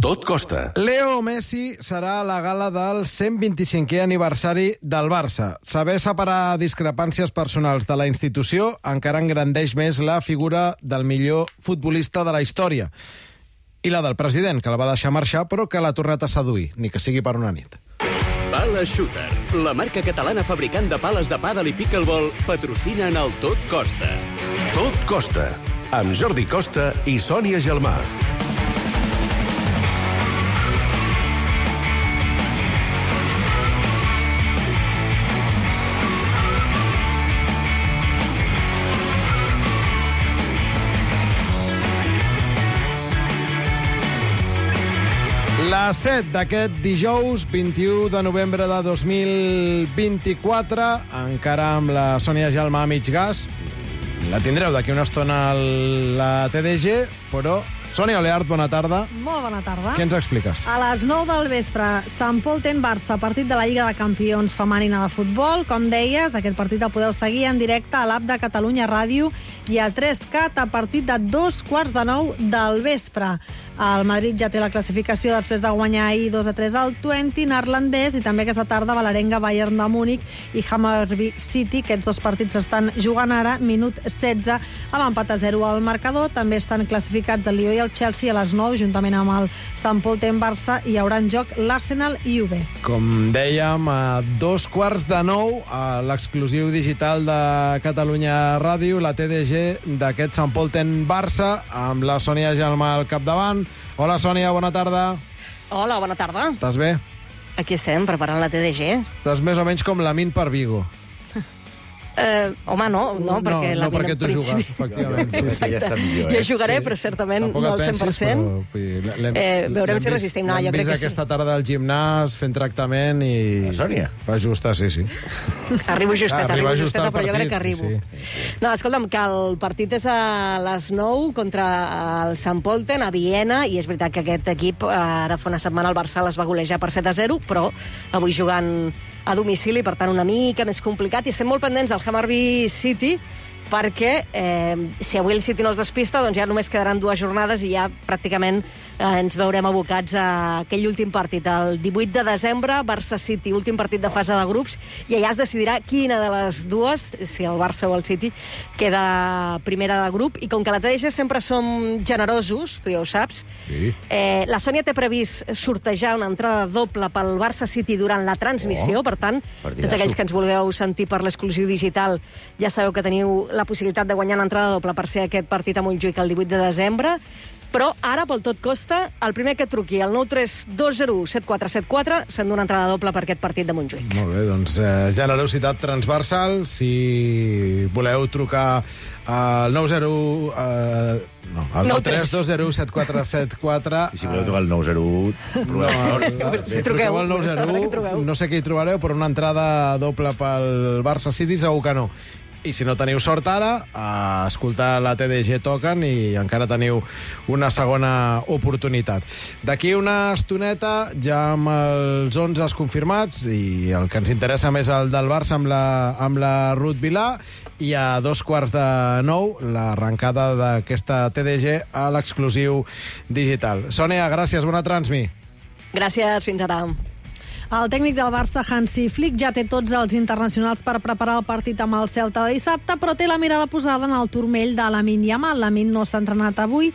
Tot costa. Leo Messi serà a la gala del 125è aniversari del Barça. Saber separar discrepàncies personals de la institució encara engrandeix més la figura del millor futbolista de la història. I la del president, que la va deixar marxar, però que l'ha tornat a seduir, ni que sigui per una nit. Pala Shooter, la marca catalana fabricant de pales de pàdel i pickleball, patrocina en el Tot Costa. Tot costa. Amb Jordi Costa i Sònia Gelmà. La 7 d'aquest dijous, 21 de novembre de 2024, encara amb la Sònia Gelmà a mig gas. La tindreu d'aquí una estona a la TDG, però... Sònia Oleart, bona tarda. Molt bona tarda. Què ens expliques? A les 9 del vespre, Sant Pol ten Barça, partit de la Lliga de Campions femenina de futbol. Com deies, aquest partit el podeu seguir en directe a l'app de Catalunya Ràdio i a 3Cat a partir de 2:45 del vespre. El Madrid ja té la classificació després de guanyar ahir 2-3 al Twente neerlandès i també aquesta tarda Valerenga, Bayern de Múnich i Hammarby City. Aquests dos partits estan jugant ara, minut 16, amb empat a 0 al marcador. També estan classificats el Lió i el Chelsea a les 9, juntament amb el Sant Pol ten Barça, i hi haurà en joc l'Arsenal i UB. Com dèiem, a 2:45, a l'exclusiu digital de Catalunya Ràdio, la TDG d'aquest Sant Pol ten Barça, amb la Sònia Gelmà al capdavant. Hola, Sònia, bona tarda. Hola, bona tarda. Estàs bé? Aquí estem, preparant la TDG. Estàs més o menys com la Min per Vigo. Home, no, perquè la no perquè tu jugues, efectivament. Sí, ja està millor, Jo jugaré, però certament tampoc no al 100%. Veurem si resistim. No, jo crec que sí. Aquesta tarda al gimnàs fent tractament i... La Sònia? Va justa, sí. Arribo justeta, però jo crec que arribo. Sí. No, escolta'm, que el partit és a les 9 contra el Sant Polten a Viena, i és veritat que aquest equip ara fa una setmana el Barça les va golejar per 7-0, però avui jugant a domicili, per tant una mica més complicat, i estem molt pendents del Hammarby City, perquè si avui el City no es despista, doncs ja només quedaran 2 jornades i ja pràcticament ens veurem abocats a aquell últim partit, el 18 de desembre, Barça-City, últim partit de fase de grups, i allà es decidirà quina de les dues, si el Barça o el City, queda primera de grup. I com que a la TDG sempre som generosos, tu ja ho saps, sí. La Sònia té previst sortejar una entrada doble pel Barça-City durant la transmissió, per tant, tots aquells que ens vulgueu sentir per l'exclusiu digital ja sabeu que teniu la possibilitat de guanyar l'entrada doble per ser aquest partit a Montjuïc el 18 de desembre. Però ara, pel Tot Costa, el primer que truqui, el 932017474, s'endú una entrada doble per aquest partit de Montjuïc. Molt bé, doncs generositat transversal. Si voleu trucar al 932017474... I si voleu trucar al 901... Si truqueu al 901, no sé què hi trobareu, però una entrada doble pel Barça City segur que no. I si no teniu sort ara, a escoltar la TDG toquen i encara teniu una segona oportunitat. D'aquí una estoneta, ja amb els 11 confirmats, i el que ens interessa més el del Barça amb la Ruth Vilà, i a 8:45 l'arrencada d'aquesta TDG a l'exclusiu digital. Sònia, gràcies, bona transmi. Gràcies, fins ara. El tècnic del Barça, Hansi Flick, ja té tots els internacionals per preparar el partit amb el Celta de dissabte, però té la mirada posada en el turmell de Lamine Yamal. Lamine no s'ha entrenat avui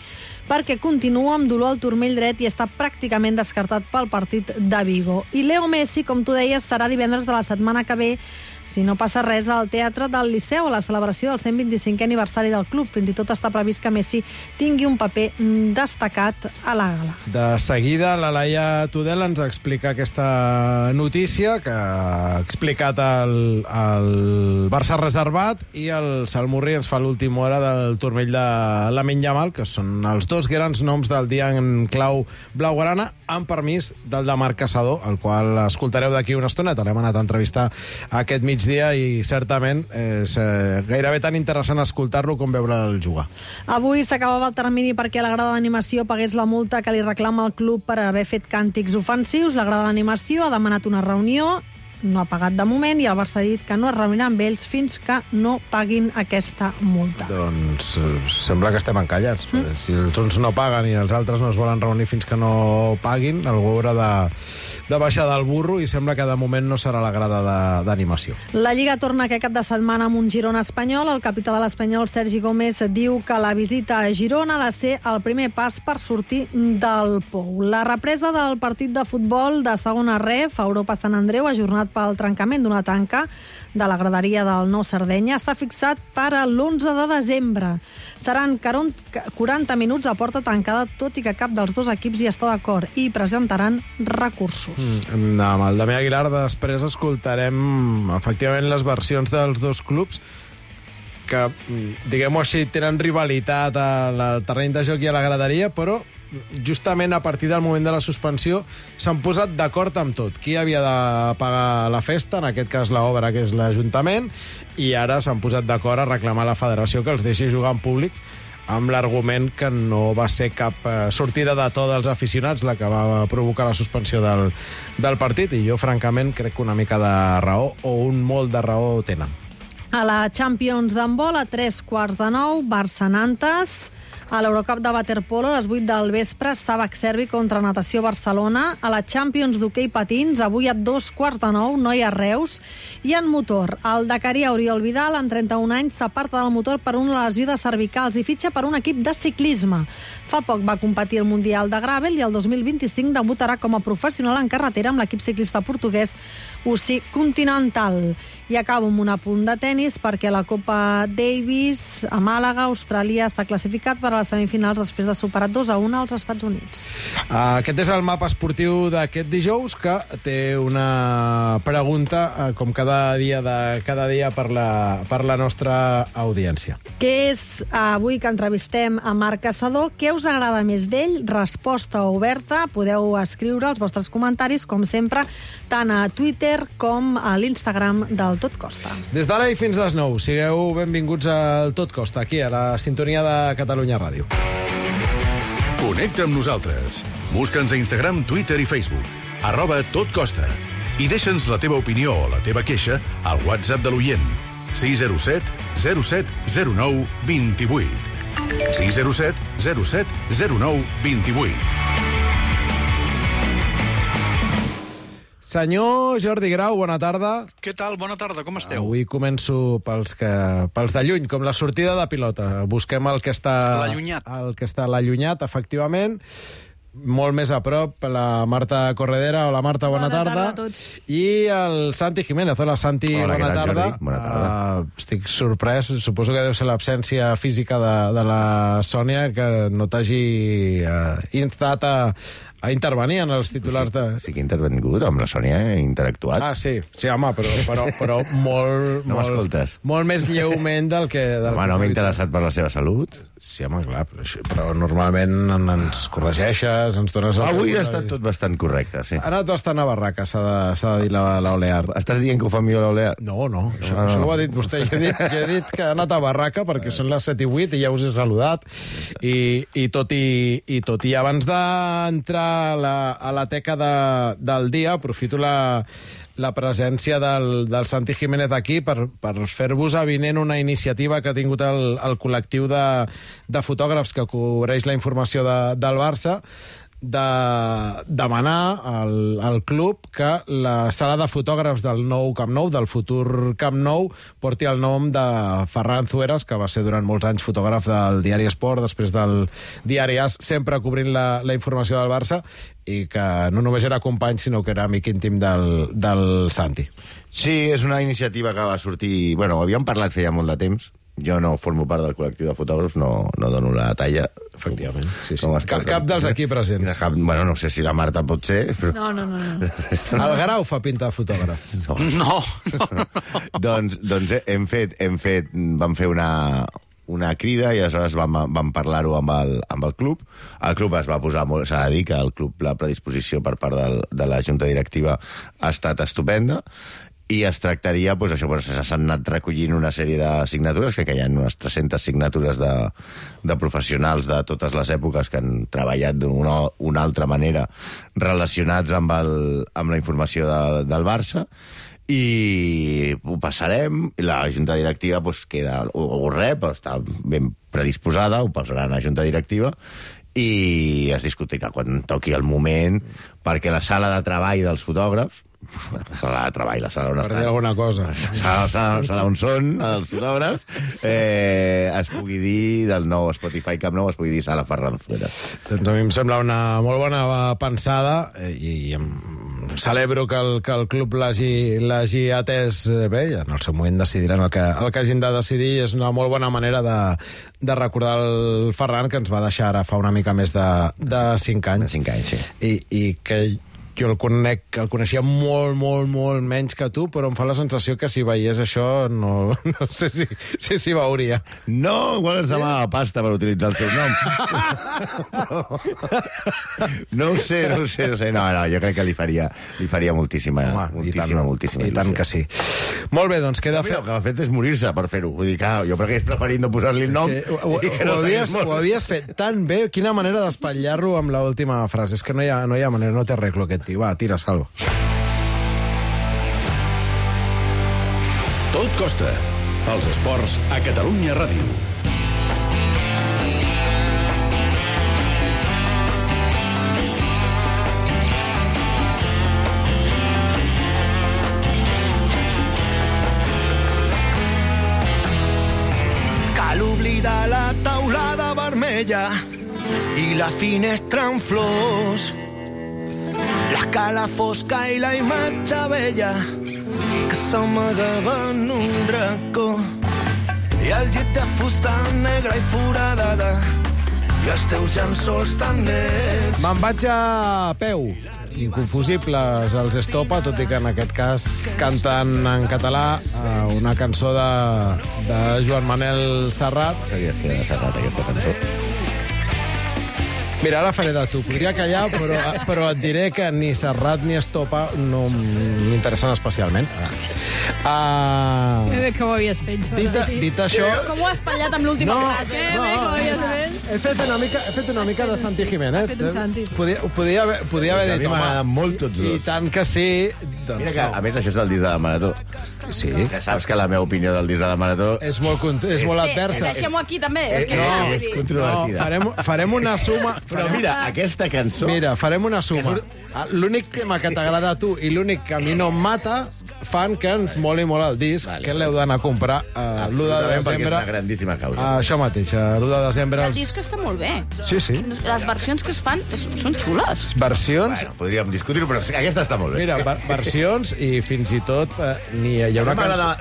perquè continua amb dolor al turmell dret i està pràcticament descartat pel partit de Vigo. I Leo Messi, com tu deies, serà divendres de la setmana que ve, si no passa res, al Teatre del Liceu, a la celebració del 125è aniversari del club. Fins i tot està previst que Messi tingui un paper destacat a la gala. De seguida, la Laia Tudel ens explica aquesta notícia que ha explicat el Barça reservat, i el Salmurri ens fa l'última hora del turmell de Lamine Yamal, que són els dos grans noms del dia en clau blaugrana, amb permís del de Marc Caçador, el qual escoltareu d'aquí una estoneta. L'hem anat a entrevistar aquest migdia i certament és gairebé tan interessant escoltar-lo com veure'l jugar. Avui s'acabava el termini perquè la grada d'animació pagués la multa que li reclama el club per haver fet càntics ofensius. La grada d'animació ha demanat una reunió no ha pagat de moment i el Barça ha dit que no es reunirà amb ells fins que no paguin aquesta multa. Doncs sembla que estem encallats. Si els uns no paguen i els altres no es volen reunir fins que no paguin, algú haurà de baixar del burro i sembla que de moment no serà la grada d'animació. La Lliga torna aquest cap de setmana amb un Girona espanyol. El capità de l'Espanyol, Sergi Gómez, diu que la visita a Girona ha de ser el primer pas per sortir del pou. La represa del partit de futbol de segona ref a Europa Sant Andreu, ajornat pel trencament d'una tanca de la graderia del Nou Sardenya, s'ha fixat per a l'11 de desembre. Seran 40 minuts a porta tancada, tot i que cap dels dos equips hi està d'acord i presentaran recursos. Amb el Damià Aguilar després escoltarem efectivament les versions dels dos clubs que, diguem-ho així, tenen rivalitat al terreny de joc i a la graderia, però justament a partir del moment de la suspensió s'han posat d'acord amb tot. Qui havia de pagar la festa, en aquest cas l'obra, que és l'Ajuntament, i ara s'han posat d'acord a reclamar a la federació que els deixi jugar en públic, amb l'argument que no va ser cap sortida de to dels aficionats la que va provocar la suspensió del partit, i jo francament crec que una mica de raó o un molt de raó tenen. A la Champions d'handbol, a 8:45, Barça-Nantes. A l'Eurocup de waterpolo, a les 8 del vespre, Sàbac Servi contra Natació Barcelona. A la Champions d'hoquei patins, avui a 8:45, Noia Reus. I en motor, el dakarià Oriol Vidal, amb 31 anys, s'aparta del motor per una lesió de cervicals i fitxa per un equip de ciclisme. Fa poc va competir al Mundial de Gravel i el 2025 debutarà com a professional en carretera amb l'equip ciclista portuguès UCI Continental. I acabo amb un apunt de tennis perquè la Copa Davis a Màlaga, Austràlia, s'ha classificat per a les semifinals després de superar 2-1 als Estats Units. Aquest és el mapa esportiu d'aquest dijous, que té una pregunta, com cada dia per la nostra audiència. Que és avui que entrevistem a Marc Caçador. Què us agrada més d'ell? Resposta oberta. Podeu escriure els vostres comentaris, com sempre, tant a Twitter com a l'Instagram del Tot Costa. Des d'ara i fins a les 9, sigueu benvinguts al Tot Costa, aquí a la sintonia de Catalunya Ràdio. Connecta amb nosaltres. Busca'ns a Instagram, Twitter i Facebook. @totcosta. I deixa'ns la teva opinió o la teva queixa al WhatsApp de l'oient. 607 07 09 28. 607 07 09 28. Senyor Jordi Grau, bona tarda. Què tal? Bona tarda, com esteu? Avui començo pels de lluny, com la sortida de pilota. Busquem el que està... L'allunyat. El que està a l'allunyat, efectivament. Molt més a prop, la Marta Corredera. Hola, Marta, bona tarda. Bona tarda a tots. I el Santi Jiménez. Hola, Santi, Hola, bona tarda. Jordi? Bona tarda. Estic sorprès. Suposo que deu ser l'absència física de la Sònia, que no t'hagi instat a intervenir en els titulars de... Sí que he intervingut, amb la Sònia he interactuat. Ah, sí, home, però molt... No m'escoltes. Molt més lleument del que... Home, no m'he interessat per la seva salut. Sí, home, clar, però normalment ens corregeixes, ens dones... Avui ha estat tot bastant correcte, sí. Ha anat bastant a barraca, s'ha de dir l'Olear. Estàs dient que ho fa millor l'Olear? No, això ho ha dit vostè. Jo he dit que ha anat a barraca perquè són les 7 i 8 i ja us he saludat. I tot i abans d'entrar a la teca del dia, aprofito la presència del Santi Jiménez aquí per fer-vos avinent una iniciativa que ha tingut el col·lectiu de fotògrafs que cobreix la informació del Barça, de demanar al club que la sala de fotògrafs del nou Camp Nou, del futur Camp Nou, porti el nom de Ferran Zueras, que va ser durant molts anys fotògraf del diari Esport, després del diari AS, sempre cobrint la informació del Barça, i que no només era company, sinó que era amic íntim del Santi. Sí, és una iniciativa que va sortir... Bueno, havíem parlat feia molt de temps. Jo no formo part del col·lectiu de fotògrafs, no dono la talla. Efectivament, sí. Cap dels aquí presents. Bueno, no sé si la Marta pot ser, però... No. El Grau fa pinta de fotògraf. No. Doncs vam fer una crida i aleshores vam parlar-ho amb el club. El club es va posar molt... S'ha de dir que el club, la predisposició per part de la Junta Directiva ha estat estupenda, i es tractaria, doncs això, s'han anat recollint una sèrie de signatures, crec que hi ha unes 300 signatures de professionals de totes les èpoques que han treballat d'una altra manera relacionats amb la informació del Barça, i ho passarem, i la junta directiva queda, ho rep, està ben predisposada, ho passarà a la junta directiva, i es discutirà quan toqui el moment, perquè la sala de treball dels fotògrafs, la sala de treball, la sala on Per dir alguna cosa. la sala on són els fotògrafs, es pugui dir del nou Spotify Camp Nou, es pugui dir sala Ferran Zuera. Doncs a mi em sembla una molt bona pensada i celebro que el club l'hagi atès bé, i en el seu moment decidiran el que hagin de decidir. És una molt bona manera de recordar el Ferran, que ens va deixar ara fa una mica més de 5 anys. De 5 anys, sí. I que jo el coneixia molt menys que tu, però em fa la sensació que si veiés això no sé si veuria. No, igual ens demana pasta per utilitzar el seu nom. No ho sé. No, jo crec que li faria moltíssima I tant que sí. Molt bé, doncs queda... El que ha fet és morir-se per fer-ho. Vull dir que jo crec que és preferint no posar-li el nom. Ho havies fet tan bé. Quina manera d'espatllar-lo amb l'última frase. És que no hi ha manera, no té arreglo aquest tio. Va, tira, Salva. Tot costa. Els esports a Catalunya Ràdio. Cal oblidar la taulada vermella i la finestra en flors, l'escala fosca i la imatge vella que s'amagava en un racó, i el llit de fusta negra i foradada i els teus llençols tan nets. Me'n vaig a peu. Inconfusibles els Estopa, tot i que en aquest cas canten en català una cançó de Joan Manel Serrat. Sabies que era Serrat, aquesta cançó? Mira, ara faré de tu. Podria callar, però et diré que ni Serrat ni Estopa no m'interessen especialment. Que bé que ho havies fet, Jordi. Dit això... Com ho has espatllat amb l'última frase, eh? Bé que ho havies fet. He fet una mica de Santi Jiménez. Has fet un Santi. Podia haver dit, a mi m'agraden molt tots dos. I tant que sí. Doncs mira que, a més, això és del disc de la Marató. Sí. Que saps que la meva opinió del disc de la Marató... És molt adversa. Deixem-ho aquí, també. És controvertida. Farem una suma... Però mira, aquesta cançó... Mira, farem una suma. L'únic tema que t'agrada a tu i l'únic que a mi no em mata fan que ens moli molt el disc, que l'heu d'anar a comprar l'1 de desembre. Perquè és una grandíssima causa. Això mateix, l'1 de desembre... El disc està molt bé. Sí. Les versions que es fan són xules. Versions... Bueno, podríem discutir-ho, però aquesta està molt bé. Mira, versions i fins i tot hi ha una cançó...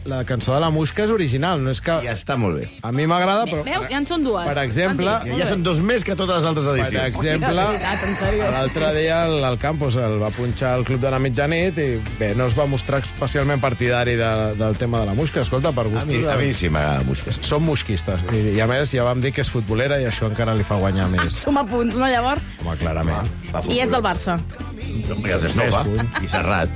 La cançó de la Muixca és original, no és que... Ja està molt bé. A mi m'agrada, però... Veus? Ja en són dues. Per exemple... Ja són dos més que totes les altres edicions. Per exemple, l'altre dia el Campos el va punxar al Club de la Mitjanit i bé, no es va mostrar especialment partidari del tema de la Muixca. Escolta, per gust... A mi sí m'agrada Muixca. Som muixquistes. I a més ja vam dir que és futbolera i això encara li fa guanyar més. Som a punts, no, llavors? Home, clarament. I és del Barça. I els Estopa. I Serrat.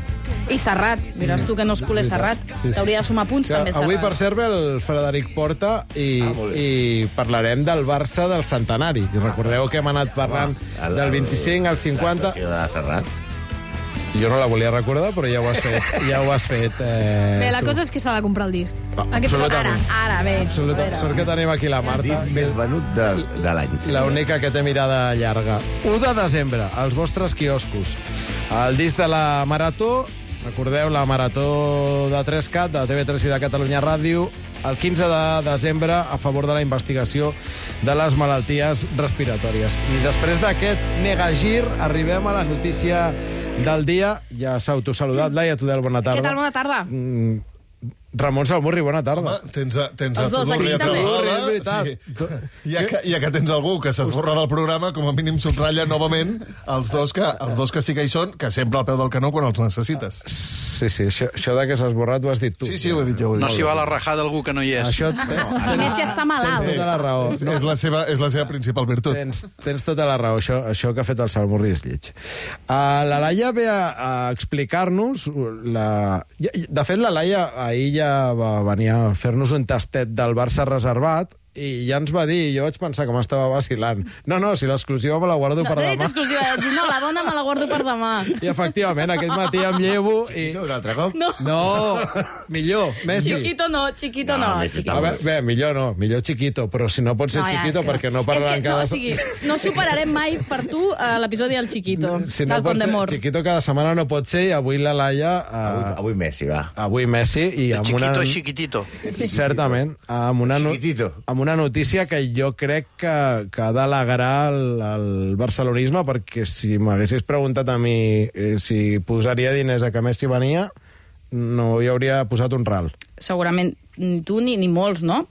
I Serrat. Diràs tu que no és culer Serrat. T'hauria de sumar punts, també, Serrat. Avui, per cert, ve el Frederic Porta i parlarem del Barça del centenari. I recordeu que hem anat parlant del 25 al 50... De Serrat. Jo no la volia recordar, però ja ho has fet. Bé, la cosa és que s'ha de comprar el disc. Absolutament. Ara, bé. Absolutament. Sort que tenim aquí la Marta. El disc més venut de l'any. L'única que té mirada llarga. 1 de desembre, als vostres quioscos. El disc de la Marató, recordeu, la Marató de 3CAT, de TV3 i de Catalunya Ràdio, el 15 de desembre a favor de la investigació de les malalties respiratòries. I després d'aquest megagir arribem a la notícia del dia. Ja s'ha autosaludat. Laia Tudel, bona tarda. Què tal? Bona tarda. Ramon Salmurri, bona tarda. Home, tens els dos aquí també. És veritat. Sí. Ja que tens algú que s'esborra del programa, com a mínim subratlla novament els dos que sí que hi són, que sempre al peu del canó quan els necessites. Sí, això de que s'has esborrat ho has dit tu. Sí, ho he dit jo. No s'hi va la rajada algú que no hi és. Això... I més si està malalt. Tens tota la raó. És la seva principal virtut. Tens tota la raó. Això que ha fet el Salmurri és lleig. La Laia ve a explicar-nos... De fet, la Laia ahir ja va venir a fer-nos un tastet del Barça reservat i ja ens va dir, jo vaig pensar que m'estava vacilant. No, si l'exclusiva me la guardo per demà. No he dit exclusiva, vaig dir, no, la bona me la guardo per demà. I efectivament, aquest matí em llevo i... Un altre cop? No, millor, Messi. Chiquito no. A veure, millor Chiquito, però si no pot ser Chiquito perquè no parlen cada... No superarem mai per tu l'episodi del Chiquito, si no del Pont de Mor. Chiquito cada setmana no pot ser i avui la Laia... Avui Messi, va. Avui Messi i amb una... Chiquitito. Certament, amb una notícia que jo crec que ha d'alegrar el barcelonisme, perquè si m'haguessis preguntat a mi si posaria diners a que Messi venia, no hi hauria posat un ral. Segurament tu ni molts, no?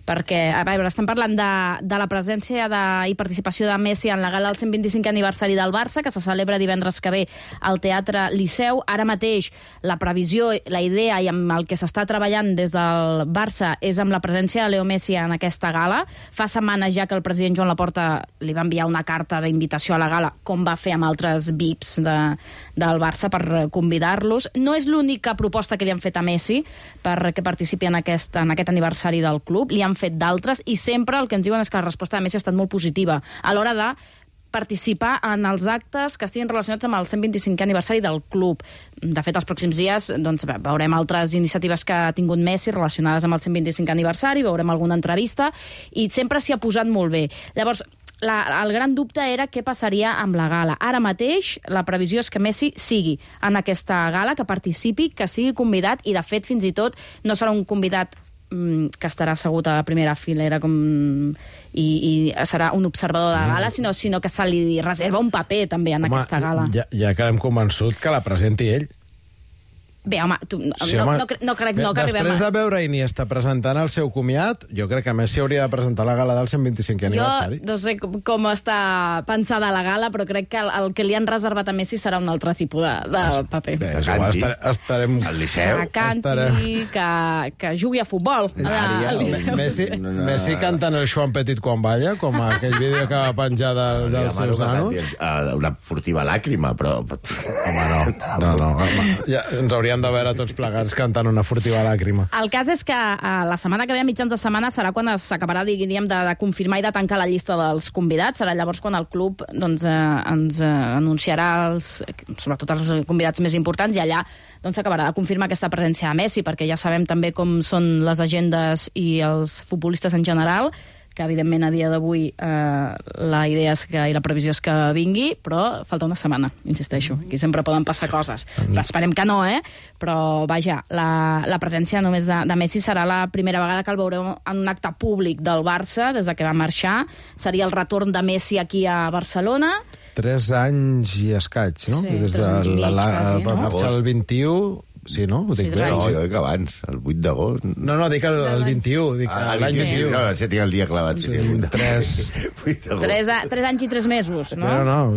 Perquè, a veure, estem parlant de la presència i participació de Messi en la gala del 125 aniversari del Barça, que se celebra divendres que ve al Teatre Liceu. Ara mateix la previsió, la idea i amb el que s'està treballant des del Barça és amb la presència de Leo Messi en aquesta gala. Fa setmanes ja que el president Joan Laporta li va enviar una carta d'invitació a la gala, com va fer amb altres VIPs del Barça, per convidar-los. No és l'única proposta que li han fet a Messi perquè participi en aquest aniversari del club. Li han fet d'altres i sempre el que ens diuen és que la resposta de Messi ha estat molt positiva a l'hora de participar en els actes que estiguin relacionats amb el 125è aniversari del club. De fet, els pròxims dies veurem altres iniciatives que ha tingut Messi relacionades amb el 125è aniversari, veurem alguna entrevista i sempre s'hi ha posat molt bé. Llavors, el gran dubte era què passaria amb la gala. Ara mateix la previsió és que Messi sigui en aquesta gala, que participi, que sigui convidat i, de fet, fins i tot no serà un convidat que estarà assegut a la primera filera i serà un observador de la gala, sinó que se li reserva un paper també en aquesta gala. Ja que hem convençut que la presenti ell. Bé, home, no crec que arribem Després de veure Iniesta presentant el seu comiat, jo crec que Messi hauria de presentar la gala del 125è aniversari. Jo no sé com està pensada la gala, però crec que el que li han reservat a Messi serà un altre tipus de paper. Bé, estarem... Al Liceu. Que canti, que jugui a futbol. Messi cantant el Joan Petit quan balla, com aquell vídeo que va penjar dels seus nanos. Una furtiva làcrima, però... Home, no. Ja ens hauríem de veure tots plegats cantant una furtiva làgrima. El cas és que la setmana que ve, a mitjans de setmana, serà quan s'acabarà, diríem, de confirmar i de tancar la llista dels convidats. Serà llavors quan el club ens anunciarà sobretot els convidats més importants, i allà s'acabarà de confirmar aquesta presència de Messi, perquè ja sabem també com són les agendes i els futbolistes en general, que evidentment a dia d'avui la idea és i la previsió és que vingui, però falta una setmana, insisteixo. Aquí sempre poden passar coses. Esperem que no, però vaja, la presència només de Messi serà la primera vegada que el veurem en un acte públic del Barça des que va marxar. Seria el retorn de Messi aquí a Barcelona. 3 anys i escaig, no? Sí, 3 anys i mig, quasi, no? Va marxar el 21... Sí, no? Ho dic bé. No, jo dic abans, el 8 d'agost. No, dic el 21, dic l'any 21. No, ja tinc el dia clavat. 3 anys i 3 mesos, no? No,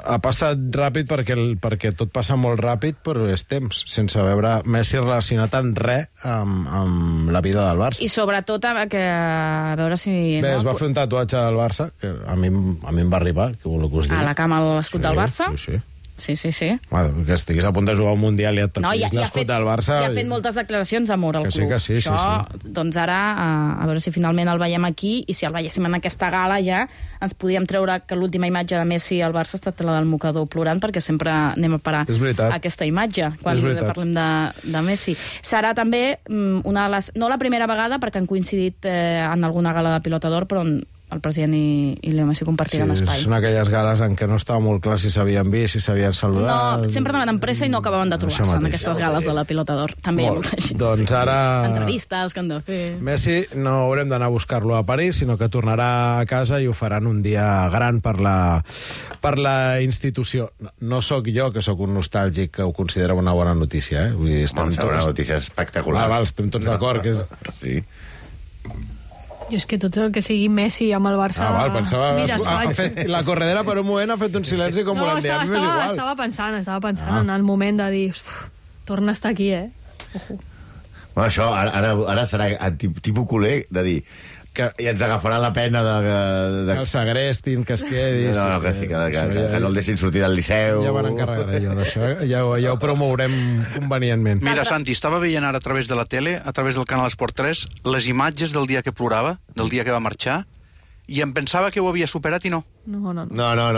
ha passat ràpid perquè tot passa molt ràpid, però és temps, sense veure Messi relacionat en res amb la vida del Barça. I sobretot a veure si... Bé, es va fer un tatuatge del Barça, que a mi em va arribar, que voleu que us digui. A la cama a l'escut del Barça? Sí. Sí. Que estiguis a punt de jugar un Mundial i et tatuïs l'escut del Barça... I ha fet moltes declaracions d'amor al club. Que sí. Doncs ara, a veure si finalment el veiem aquí, i si el veiéssim en aquesta gala ja, ens podíem treure que l'última imatge de Messi al Barça ha estat la del mocador plorant, perquè sempre anem a parar aquesta imatge quan parlem de Messi. Serà també una de les... No la primera vegada, perquè han coincidit en alguna gala de Pilota d'Or, però el president i Leo Messi compartiran espai. Són aquelles gales en què no estava molt clar si s'havien vist, si s'havien saludat... No, sempre anaven amb pressa i no acabaven de trobar-se en aquestes gales de la Pilota d'Or. També hi ha molta gent. Doncs ara... Entrevistes que han de fer... Messi no haurem d'anar a buscar-lo a París, sinó que tornarà a casa i ho faran un dia gran per la institució. No sóc jo, que sóc un nostàlgic, que ho considera una bona notícia, Vull dir, una notícia espectacular. Estem tots d'acord. Sí. Jo és que tot el que sigui Messi amb el Barça... Pensava... La corredera per un moment ha fet un silenci com volem dir. Estava pensant en el moment de dir... Torna a estar aquí, Ojo. Bueno, això ara serà tipus culer de dir... I ens agafarà la pena de... Que el segrestin, que es quedi... No, que sí, que no el deixin sortir del Liceu. Ja van encarregar jo d'això, ja ho promourem convenientment. Mira, Santi, estava veient ara a través de la tele, a través del canal Esport 3, les imatges del dia que plorava, del dia que va marxar, i em pensava que ho havia superat i no. No.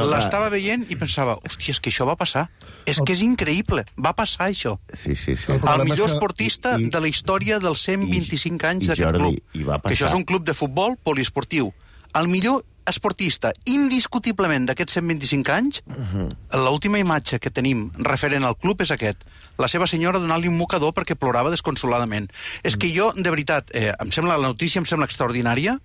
L'estava veient i pensava, hòstia, és que això va passar. És que és increïble, va passar això. Sí. El millor esportista de la història dels 125 anys d'aquest club. Que això és un club de futbol poliesportiu. El millor esportista, indiscutiblement, d'aquests 125 anys, l'última imatge que tenim referent al club és aquest. La seva senyora donant-li un mocador perquè plorava desconsoladament. És que jo, de veritat, la notícia em sembla extraordinària,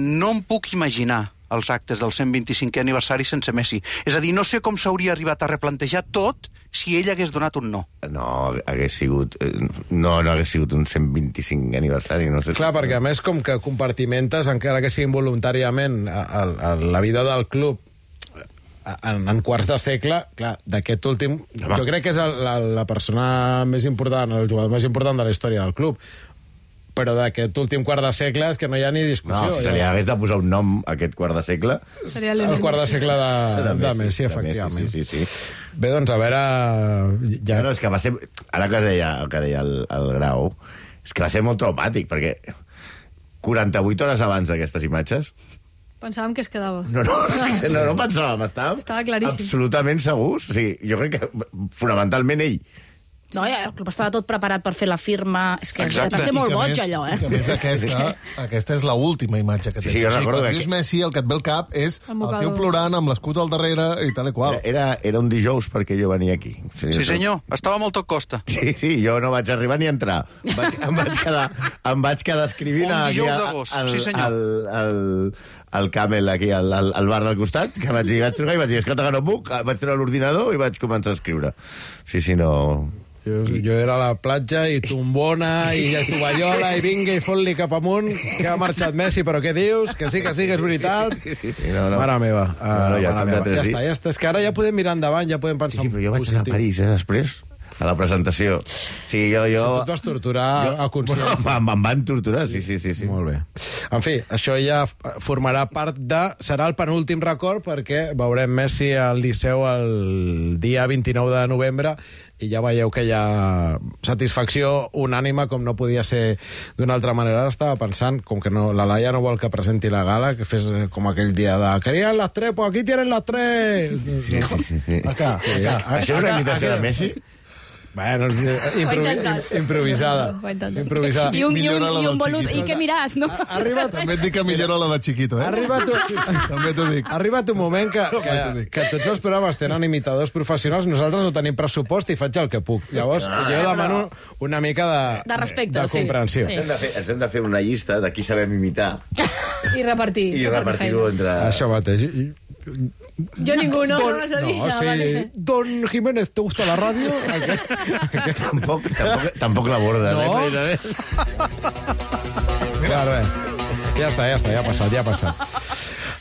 no em puc imaginar els actes del 125è aniversari sense Messi. És a dir, no sé com s'hauria arribat a replantejar tot si ell hagués donat un no. No hagués sigut un 125 aniversari, no sé. Clar, perquè a més com que compartimentes, encara que sigui involuntàriament, la vida del club en quarts de segle, clar, d'aquest últim... Jo crec que és la persona més important, el jugador més important de la història del club. Però d'aquest últim quart de segle és que no hi ha ni discussió. No, si se li hagués de posar un nom a aquest quart de segle... El quart de segle de Messi, efectivament. Sí. Bé, doncs, a veure... Ja... No, és que va ser... Ara que deia el Grau, és que va ser molt traumàtic, perquè 48 hores abans d'aquestes imatges... Pensàvem que es quedava. No pensàvem, estava claríssim. Absolutament segurs. O sigui, jo crec que fonamentalment ell... No, ja, el club estava tot preparat per fer la firma. És que va ser molt boig, allò, I que a més aquesta és l'última imatge que té. Sí, jo recordo quan dius Messi, el que et ve al cap és el tio plorant amb l'escut al darrere i tal i qual. Era un dijous perquè jo venia aquí. Sí, senyor, estava molt a costa. Sí, jo no vaig arribar ni a entrar. Em vaig quedar escrivint un dijous d'agost, sí senyor. Al Camel, aquí, al bar del costat, que vaig trucar i vaig dir, escolta, que no puc, vaig treure l'ordinador i vaig començar a escriure. Sí, no... Jo era a la platja i tombona i tovallola i vinga i fot-li cap amunt que ha marxat Messi, però què dius? Que sí, que és veritat. Mare meva. Ja està. És que ara ja podem mirar endavant, ja podem pensar en positiu. Però jo vaig anar a París, després, a la presentació. Sí, jo... Si tu et vas torturar a consciència. Em van torturar, sí. Molt bé. En fi, això ja formarà part de... Serà el penúltim record perquè veurem Messi al Liceu el dia 29 de novembre i ja veieu que hi ha satisfacció unànime, com no podia ser d'una altra manera. Ara estava pensant, com que la Laia no vol que presenti la gala, que fes com aquell dia de «Querían las tres, pues aquí tienen las tres!» Sí. Acá. Això és una imitació de Messi? Bueno, improvisada. I un volut, i què miràs, no? També et dic que millora la de Chiquito, També t'ho dic. Ha arribat un moment que tots els programes tenen imitadors professionals, nosaltres no tenim pressupost i faig el que puc. Llavors, jo demano una mica de respecte, de comprensió. Ens hem de fer una llista de qui sabem imitar. I repartir-ho entre... Això mateix. Yo ninguno, no vas a dir. No, sí. Vale. Don Jiménez, ¿te gusta la radio? Tampoc l'abordes, no? Ja està, ja ha passat.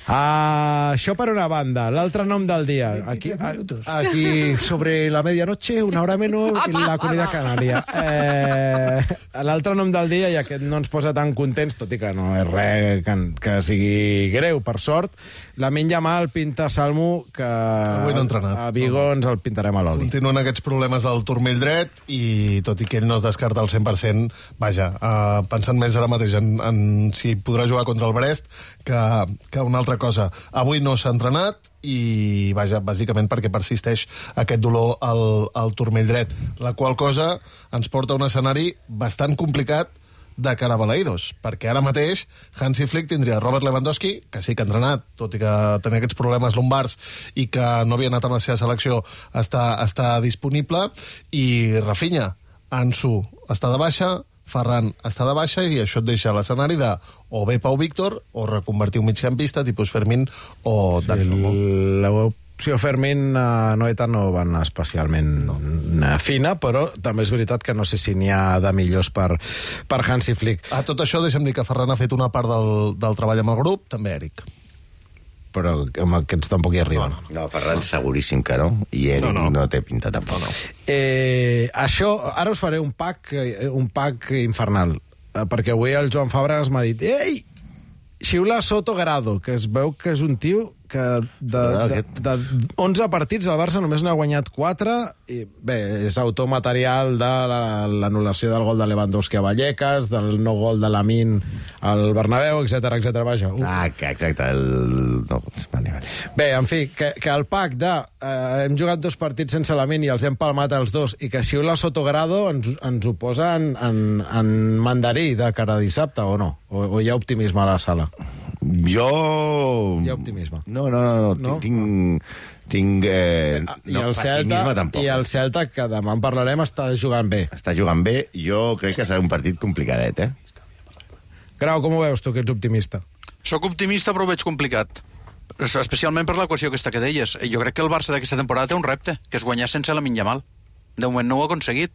Això per una banda. L'altre nom del dia. Aquí sobre la medianoche, una hora menos, en la Comunitat Canària. L'altre nom del dia, i aquest no ens posa tan contents, tot i que no és res que sigui greu, per sort, Lamine Yamal pinta Salmo, que avui no ha entrenat. A Vigo ens el pintarem a l'oli. Continuen aquests problemes al turmell dret i tot i que ell no es descarta al 100%, vaja, pensant més ara mateix en si podrà jugar contra el Brest que una altra cosa. Avui no s'ha entrenat i, vaja, bàsicament perquè persisteix aquest dolor al turmell dret, la qual cosa ens porta a un escenari bastant complicat de cara a Balaïdos, perquè ara mateix Hansi Flick tindria Robert Lewandowski, que sí que ha entrenat, tot i que tenia aquests problemes lumbars i que no havia anat amb la seva selecció, està disponible, i Rafinha, Ansu està de baixa, Ferran està de baixa, i això et deixa l'escenari de o bé Pau Víctor o reconvertir un migcampista tipus Fermín o Dani Olmo. L'opció Fermín Noeta no va anar especialment fina, però també és veritat que no sé si n'hi ha de millors per Hansi Flick. A tot això deixa'm dir que Ferran ha fet una part del treball amb el grup, també Eric. Però amb aquests tampoc hi arriben. No, Ferran seguríssim que no, i Eric no té pinta tampoc. Això, ara us faré un pack infernal, perquè avui el Joan Fàbregas m'ha dit: ei, xiula Soto Grado, que es veu que és un tio que de 11 partits el Barça només n'ha guanyat 4 i bé, és autor material de l'anul·lació del gol de Lewandowski a Vallecas, del no gol de Lamine al Bernabéu, etc. Vaja. Exacte. Bé, en fi, que el pack de hem jugat 2 partits sense Lamine i els hem palmat els 2 i que xiula Soto Grado ens ho posa en mandarí de cara a dissabte, o no? O hi ha optimisme a la sala? Hi ha optimisme. No. Tinc pessimisme tampoc. I el Celta, que demà en parlarem, està jugant bé. Està jugant bé. Jo crec que serà un partit complicadet, Grau, com ho veus tu, que ets optimista? Soc optimista, però ho veig complicat. Especialment per l'equació aquesta que deies. Jo crec que el Barça d'aquesta temporada té un repte, que és guanyar sense Lamine Yamal. De moment no ho ha aconseguit.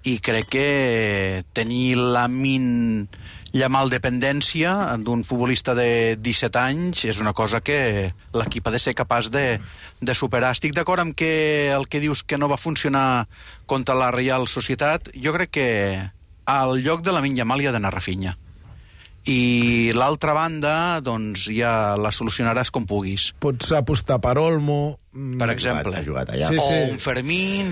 I crec que tenir Lamine Yamal dependència d'un futbolista de 17 anys és una cosa que l'equip ha de ser capaç de superar. Estic d'acord amb que el que dius que no va funcionar contra la Real Societat. Jo crec que al lloc de Lamine Yamal hi ha d'anar Rafinha. I l'altra banda, doncs, ja la solucionaràs com puguis. Pots apostar per Olmo, per exemple. Ha jugat allà. O un Fermín,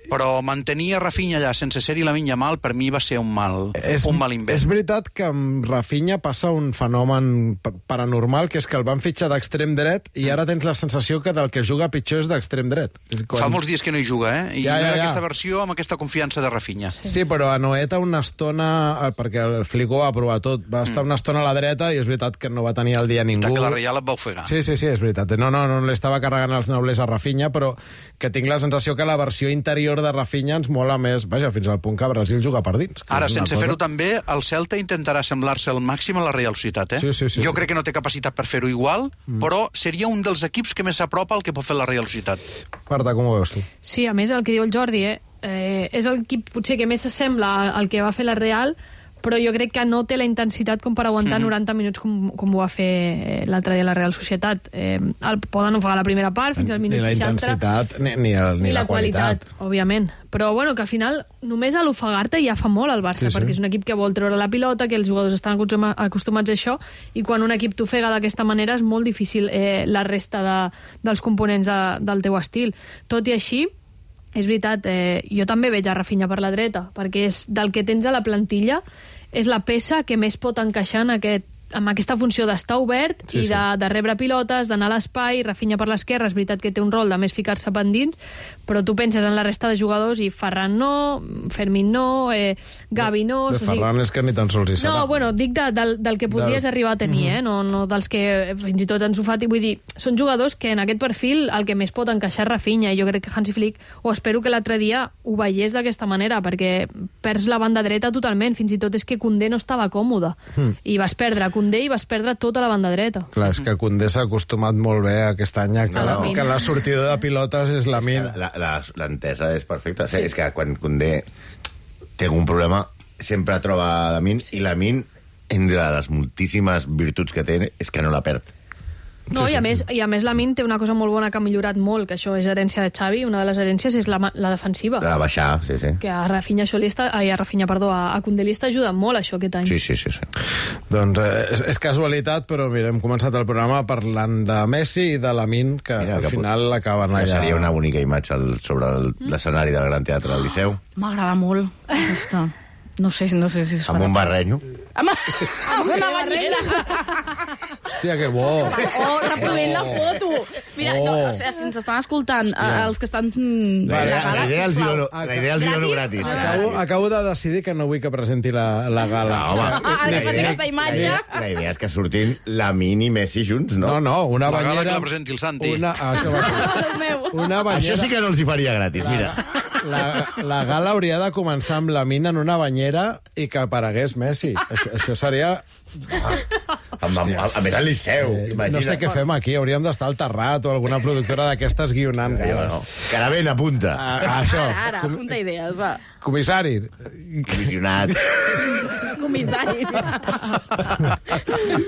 però mantenir a Rafinha allà sense ser-hi Lamine Yamal, per mi va ser un mal invent. És veritat que amb Rafinha passa un fenomen paranormal, que és que el van fitxar d'extrem dret i ara tens la sensació que del que juga pitjor és d'extrem dret. Fa molts dies que no hi juga, I no era aquesta versió amb aquesta confiança de Rafinha. Sí, però a Noeta una estona, perquè el Flico va provar tot, va estar una estona a la dreta i és veritat que no va tenir el dia ningú. Que la Real et va ofegar. Sí, és veritat. No li estava carregant els nobles a Rafinha, però que tinc la sensació que la versió interior de Rafinha ens mola més, vaja, fins al punt que Brasil juga per dins. Ara, sense fer-ho també, el Celta intentarà semblar-se al màxim a la Real Societat, Sí. Jo crec que no té capacitat per fer-ho igual, però seria un dels equips que més s'apropa al que pot fer la Real Societat. Marta, com ho veus tu? Sí, a més, el que diu el Jordi, és l'equip potser que més s'assembla al que va fer la Real, però jo crec que no té la intensitat com per aguantar 90 minuts com ho va fer l'altre dia la Real Societat. El poden ofegar la primera part fins al minut 60. Ni la intensitat ni la qualitat. Òbviament. Però bueno, que al final només a l'ofegar-te ja fa molt el Barça, perquè és un equip que vol treure la pilota, que els jugadors estan acostumats a això, i quan un equip t'ofega d'aquesta manera és molt difícil la resta dels components del teu estil. Tot i així, és veritat, jo també veig a Rafinha per la dreta, perquè és del que tens a la plantilla, és la peça que més pot encaixar amb aquesta funció d'estar obert i de rebre pilotes, d'anar a l'espai. Rafinha per l'esquerra, és veritat que té un rol de més ficar-se pendins, però tu penses en la resta de jugadors i Ferran no, Fermín no, Gavi no... De Ferran és que ni tan sols hi serà. No, bueno, dic del que podries arribar a tenir, no dels que fins i tot Ansu Fati. Vull dir, són jugadors que en aquest perfil el que més pot encaixar és Rafinha, i jo crec que Hansi Flick, o espero que l'altre dia ho veiés d'aquesta manera, perquè perds la banda dreta totalment, fins i tot és que Koundé no estava còmode, i vas perdre Koundé i vas perdre tota la banda dreta. Clar, és que Koundé s'ha acostumat molt bé aquest any que la sortida de pilotes és Lamine. L'entesa és perfecta. Sí. És que quan Koundé té algun problema sempre troba Lamine, i Lamine, entre les moltíssimes virtuts que té, és que no la perd. No, i a més Lamine té una cosa molt bona que ha millorat molt, que això és herència de Xavi. Una de les herències és la defensiva. La baixar, sí. Que a Rafinha a Koundé li està ajudant molt això aquest any. Sí. Doncs és casualitat, però mira, hem començat el programa parlant de Messi i de Lamine, que al final l'acaben allà. Seria una bonica imatge sobre l'escenari del Gran Teatre del Liceu. M'agrada molt aquesta. No sé si es farà. Amb un barrenyo. Amb una banyera. Hòstia, que bo. Reproduint la foto. Mira, si ens estan escoltant, els que estan... La idea els dono gratis. Acabo de decidir que no vull que presenti la gala. Ara que faci aquesta imatge... La idea és que surtin Lamine i Messi junts, no? No, una banyera... La gala que la presenti el Santi. Això sí que no els hi faria gratis, mira. La gala hauria de començar amb Lamine en una banyera i que aparegués Messi. Això seria... A més al Liceu, imagina. No sé què fem aquí, hauríem d'estar al Terrat o alguna productora d'aquestes guionant. Caravent, apunta. Ara, apunta idees, va. Comissari. Comissionat. comissari.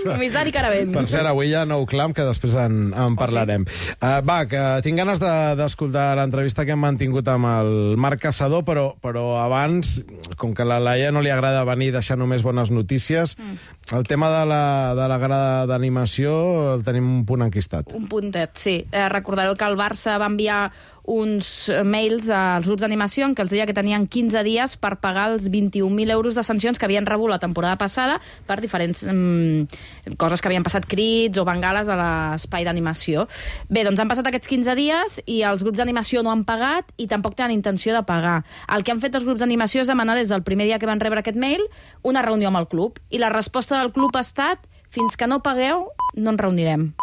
Comissari Caravent. Per cert, avui hi ha nou clam, que després en parlarem. Va, que tinc ganes d'escoltar l'entrevista que hem mantingut amb el Marc Caçador, però abans, com que a la Laia no li agrada venir i deixar només bones notícies, el tema de la grada d'animació el tenim un punt enquistat. Un puntet, sí. Recordareu que el Barça va enviar uns mails als grups d'animació en què els deia que tenien 15 dies per pagar els 21.000 euros de sancions que havien rebut la temporada passada per diferents coses que havien passat, crits o bengales a l'espai d'animació. Bé, doncs han passat aquests 15 dies i els grups d'animació no han pagat i tampoc tenen intenció de pagar. El que han fet els grups d'animació és demanar des del primer dia que van rebre aquest mail una reunió amb el club. I la resposta del club ha estat: fins que no pagueu, no ens reunirem.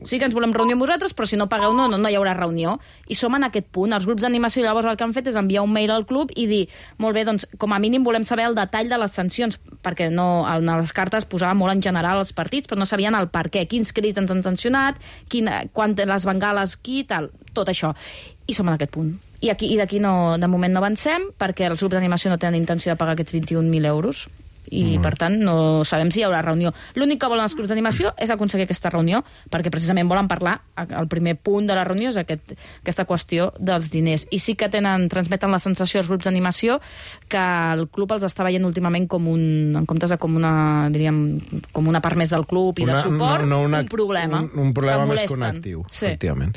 Sí que ens volem reunir amb vosaltres, però si no pagueu no hi haurà reunió. I som en aquest punt. Els grups d'animació llavors el que han fet és enviar un mail al club i dir, molt bé, doncs com a mínim volem saber el detall de les sancions, perquè no, en les cartes posava molt en general els partits, però no sabien el per què, quins crits ens han sancionat, les bengales, tal, tot això. I som en aquest punt. I d'aquí no, de moment no avancem, perquè els grups d'animació no tenen intenció de pagar aquests 21.000 euros. I, per tant, no sabem si hi haurà reunió. L'únic que volen els grups d'animació és aconseguir aquesta reunió, perquè precisament volen parlar, el primer punt de la reunió és aquesta qüestió dels diners. I sí que transmeten la sensació als grups d'animació que el club els està veient últimament en comptes de com una part més del club i de suport, un problema. Un problema més que un actiu, efectivament.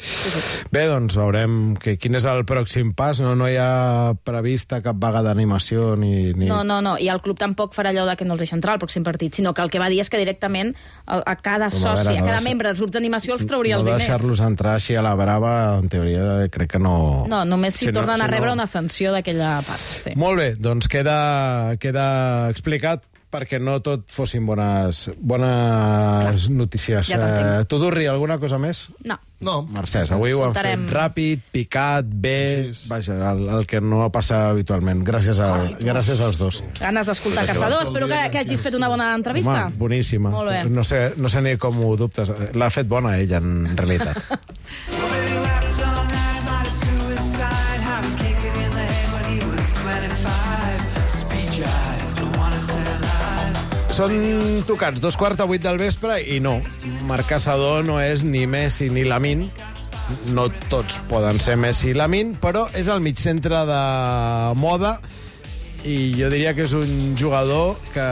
Bé, doncs veurem quin és el pròxim pas. No hi ha prevista cap vaga d'animació ni... No, i el club tampoc farà allò que no els deixa entrar al pròxim partit, sinó que el que va dir és que directament a cada soci, a cada membre dels grups d'animació els trauria els diners. No deixar-los entrar així a la brava, en teoria, crec que no... No, només si tornen a rebre una sanció d'aquella part. Sí. Molt bé, doncs queda explicat perquè no tot fossin bones notícies. Ja tu, Durri, alguna cosa més? No. Mercès, avui ho han fet ràpid, picat, bé, vaja, el que no passa habitualment. Gràcies als dos. Ganes d'escoltar Caçador, espero que hagis fet una bona entrevista. Home, boníssima. Molt bé. No sé ni com ho dubtes. L'ha fet bona ella, en realitat. Són tocats 7:15 del vespre i no, Marc Caçador no és ni Messi ni Lamine. No tots poden ser Messi i Lamine, però és el migcentre de moda i jo diria que és un jugador que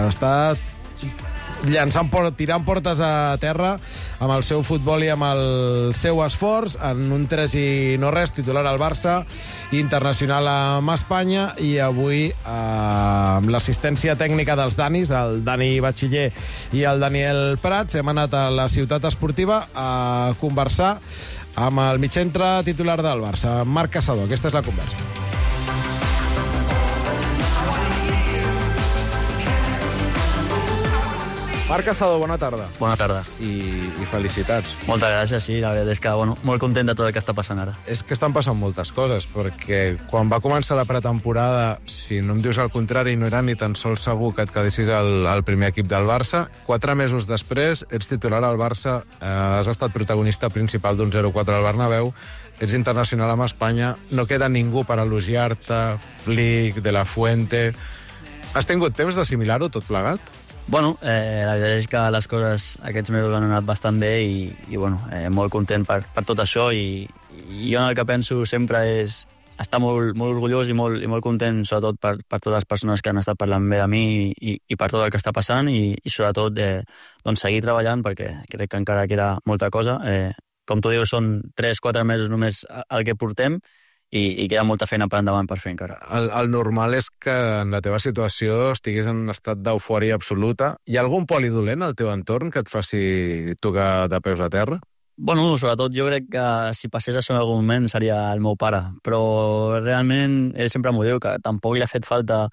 està tirant portes a terra amb el seu futbol i amb el seu esforç, en un 3-0 titular al Barça, internacional amb Espanya, i avui amb l'assistència tècnica dels Danis, el Dani Batxiller i el Daniel Prats, hem anat a la ciutat esportiva a conversar amb el migcentre titular del Barça, Marc Caçador. Aquesta és la conversa. Marc Caçador, bona tarda. Bona tarda. I felicitats. Moltes gràcies, sí. La veritat és que, molt content de tot el que està passant ara. És que estan passant moltes coses, perquè quan va començar la pretemporada, si no em dius el contrari, no era ni tan sols segur que et quedessis al primer equip del Barça. 4 mesos després, ets titular al Barça, has estat protagonista principal d'un 0-4 al Bernabéu, ets internacional amb Espanya, no queda ningú per elogiar-te, Flick, De La Fuente... Has tingut temps d'assimilar-ho tot plegat? La veritat és que les coses aquests mesos han anat bastant bé i molt content per tot això i jo el que penso sempre és estar molt orgullós i molt content, sobretot per totes les persones que han estat parlant bé de mi i per tot el que està passant i sobretot seguir treballant perquè crec que encara queda molta cosa. Com tu dius, són 3-4 mesos només el que portem i queda molta feina per endavant per fer encara. El normal és que en la teva situació estiguis en un estat d'eufòria absoluta. Hi ha algun polidolent al teu entorn que et faci tocar de peus a terra? Sobretot jo crec que si passés això en algun moment seria el meu pare, però realment ell sempre m'ho diu, que tampoc li ha fet falta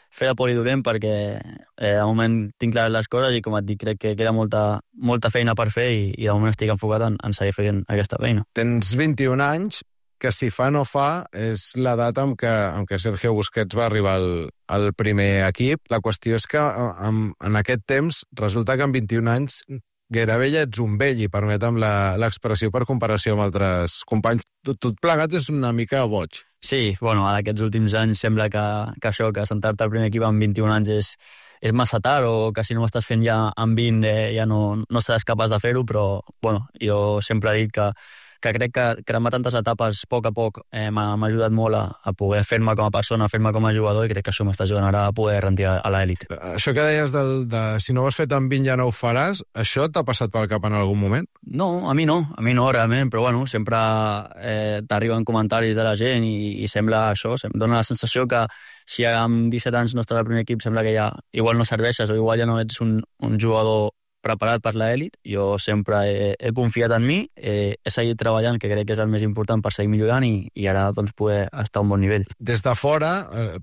fer de polidolent perquè de moment tinc clares les coses i, com et dic, crec que queda molta feina per fer i de moment estic enfocat en seguir fent aquesta feina. Tens 21 anys, que si fa no fa és la data en què Sergio Busquets va arribar al primer equip. La qüestió és que en aquest temps resulta que amb 21 anys gairebé ja ets un vell, i permetem l'expressió per comparació amb altres companys. Tot plegat és una mica boig. Sí, bueno, aquests últims anys sembla que això, que sentar-te al primer equip amb 21 anys és massa tard, o que si no ho estàs fent ja amb 20 ja no seràs capaç de fer-ho, però bueno, jo sempre he dit que crec que cremar tantes etapes a poc m'ha ajudat molt a poder fer-me com a persona, fer-me com a jugador, i crec que això m'està ajudant ara a poder rendir a l'elit. Això que deies de si no ho has fet amb 20 ja no ho faràs, això t'ha passat pel cap en algun moment? No, a mi no realment, però bueno, sempre t'arriben comentaris de la gent i sembla això, em dona la sensació que si amb 17 anys no estàs al primer equip sembla que ja igual no serveixes o igual ja no ets un jugador preparat per l'elit. Jo sempre he confiat en mi, he seguit treballant, que crec que és el més important per seguir millorant, i ara doncs poder estar a un bon nivell. Des de fora,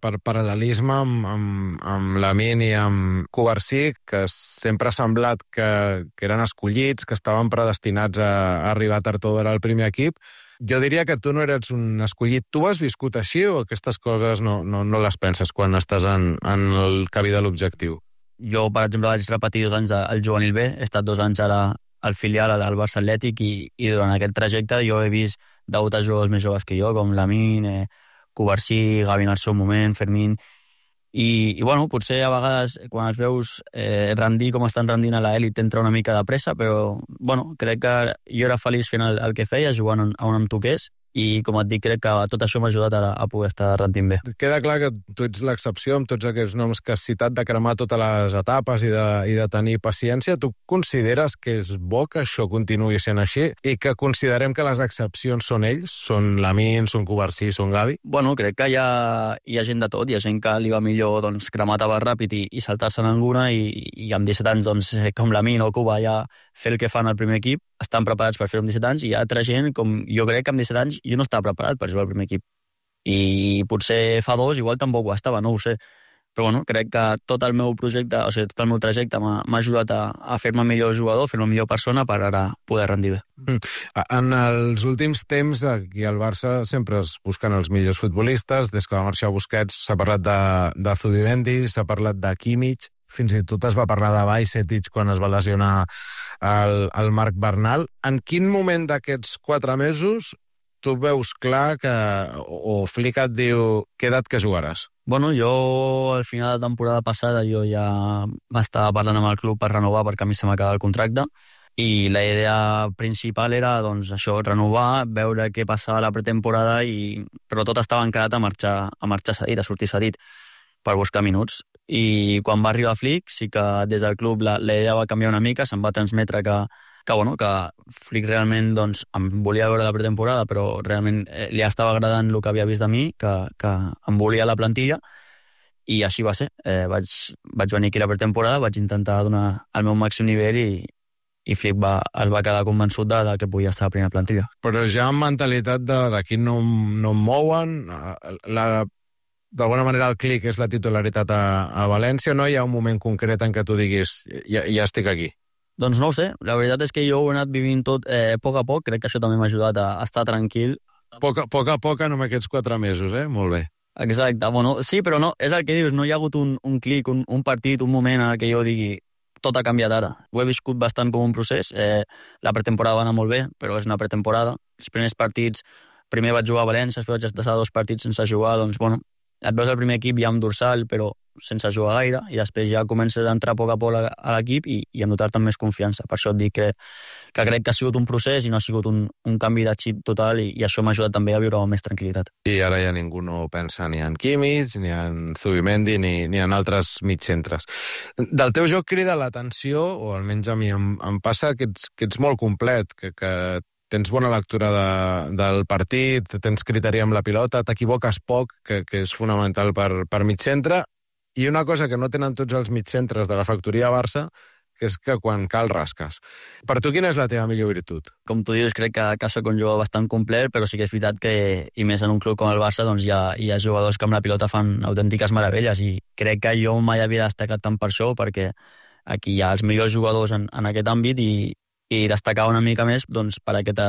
per paral·lelisme amb Lamine i amb Cubarsí, que sempre ha semblat que eren escollits, que estaven predestinats a arribar tard o d'hora al primer equip, jo diria que tu no eres un escollit. Tu has viscut així o aquestes coses no les penses quan estàs en el camí de l'objectiu? Jo, per exemple, vaig repetir 2 anys al juvenil B, he estat 2 anys ara al filial, al Barça Atlètic, i durant aquest trajecte jo he vist debutar jugadors més joves que jo, com Lamine, Cubarsí, Gavi en el seu moment, Fermín, i bueno, potser a vegades quan els veus rendir com estan rendint a l'elit t'entra una mica de pressa, però bueno, crec que jo era feliç fent el que feia, jugant on em toqués, i com et dic, crec que tot això m'ha ajudat a poder estar rendint bé. Queda clar que tu ets l'excepció amb tots aquests noms que has citat, de cremar totes les etapes i de tenir paciència. Tu consideres que és bo que això continuï sent així i que considerem que les excepcions són ells? Són Lamine, són Cubarsí, són Gavi? Bueno, crec que hi ha gent de tot. Hi ha gent que li va millor cremar tabac ràpid i saltar-se en alguna, i amb 17 anys, com Lamine o Cuba, ja fer el que fan al primer equip, estan preparats per fer-ho amb 17 anys, i hi ha altra gent, com jo crec que amb 17 anys jo no estava preparat per jugar al primer equip. I potser fa 2 igual tampoc ho estava, no ho sé. Però bueno, crec que tot el meu projecte, o sigui, tot el meu trajecte m'ha ajudat a fer-me millor jugador, fer-me millor persona per ara poder rendir bé. En els últims temps, aquí al Barça sempre es busquen els millors futbolistes. Des que va marxar Busquets s'ha parlat de Zubimendi, s'ha parlat de Kimmich, fins i tot es va parlar de Bajcetic quan es va lesionar el Marc Bernal. En quin moment d'aquests 4 mesos tu veus clar o Flick et diu queda't que jugaràs? Bueno, jo al final de la temporada passada jo ja m'estava parlant amb el club per renovar, perquè a mi se m'acaba el contracte, i la idea principal era doncs això, renovar, veure què passava a la pretemporada, però tot estava encarat a marxar cedit, a sortir cedit per buscar minuts. I quan va arribar Flick, sí que des del club la idea va canviar una mica, se'm va transmetre que Flick realment doncs, em volia veure la pretemporada, però realment li estava agradant el que havia vist de mi, que em volia la plantilla, i així va ser. Vaig venir aquí a la pretemporada, vaig intentar donar el meu màxim nivell, i Flick es va quedar convençut de que podia estar a la primera plantilla. Però ja amb mentalitat d'aquí no em mouen, d'alguna manera el clic és la titularitat a València, no hi ha un moment concret en què tu diguis ja estic aquí? Doncs no ho sé, la veritat és que jo ho he anat vivint tot a poc, crec que això també m'ha ajudat a estar tranquil. Poc a poc en aquests 4 mesos, molt bé. Exacte, bueno, sí, però no, és el que dius, no hi ha hagut un clic, un partit, un moment en què jo digui tot ha canviat ara. Ho he viscut bastant com un procés, la pretemporada va anar molt bé, però és una pretemporada. Els primers partits, primer vaig jugar a València, després vaig estar 2 partits sense jugar, doncs bueno, et veus el primer equip ja amb dorsal, però sense jugar gaire, i després ja comences a entrar a poc a l'equip i a notar-te amb més confiança. Per això et dic que crec que ha sigut un procés i no ha sigut un canvi de xip total, i això m'ha ajudat també a viure amb més tranquil·litat. I ara ja ningú no pensa ni en Kimmich, ni en Zubimendi, ni en altres mitjcentres. Del teu joc crida l'atenció, o almenys a mi em passa, que ets molt complet, que tens bona lectura del partit, tens criteri amb la pilota, t'equivoques poc, que és fonamental per mitjcentre, i una cosa que no tenen tots els mitjcentres de la factoria Barça, que és que quan cal rasques. Per tu, quina és la teva millor virtut? Com tu dius, crec que soc un jugador bastant complet, però sí que és veritat que, i més en un club com el Barça, doncs hi ha jugadors que amb la pilota fan autèntiques meravelles, i crec que jo mai havia destacat tant per això, perquè aquí hi ha els millors jugadors en aquest àmbit, i destacar una mica més doncs, per aquest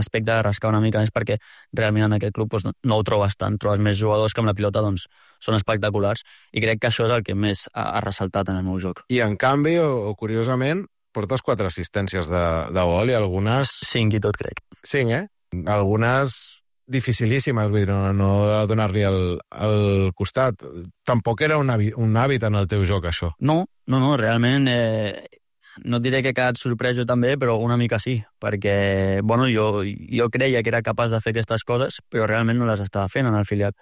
aspecte, de rascar una mica més, perquè realment en aquest club doncs, no ho trobes tant, trobes més jugadors que amb la pilota doncs, són espectaculars, i crec que això és el que més ha ressaltat en el meu joc. I en canvi, o curiosament, portes 4 assistències de gol, i algunes... 5 i tot, crec. 5, Algunes dificilíssimes, vull dir, no donar-li el costat. Tampoc era un hàbit en el teu joc, això. No, realment no et diré que he quedat sorprès jo també, però una mica sí, perquè jo creia que era capaç de fer aquestes coses, però realment no les estava fent en el filial.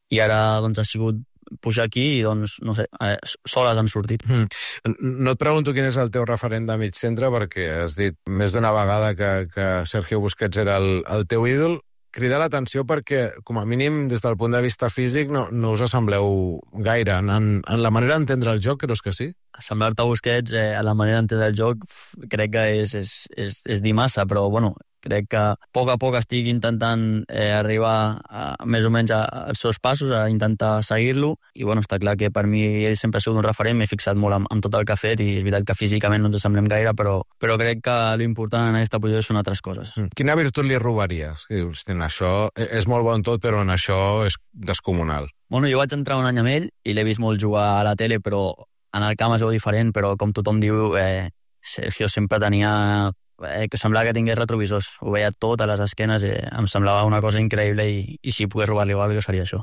I ara doncs ha sigut pujar aquí i doncs, no sé, soles han sortit. No et pregunto quin és el teu referent de mig centre, perquè has dit més d'una vegada que Sergio Busquets era el teu ídol. Crida l'atenció perquè, com a mínim, des del punt de vista físic, no us assembleu gaire. En la manera d'entendre el joc, creus que sí? Assemblar-te a Busquets a la manera d'entendre el joc crec que és dir massa, però crec que a poc estic intentant arribar més o menys als seus passos, a intentar seguir-lo, i està clar que per mi ell sempre ha sigut un referent, m'he fixat molt en tot el que ha fet, i és veritat que físicament no ens assemblem gaire, però crec que l'important en aquesta posició són altres coses. Quina virtut li robaries? Que dius, això és molt bon tot, però en això és descomunal. Jo vaig entrar un any amb ell i l'he vist molt jugar a la tele, però en el camp es veu diferent, però com tothom diu, Sergio sempre tenia... que semblava que tingués retrovisors, ho veia tot a les esquenes, em semblava una cosa increïble, i si pogués robar-li alguna cosa seria això.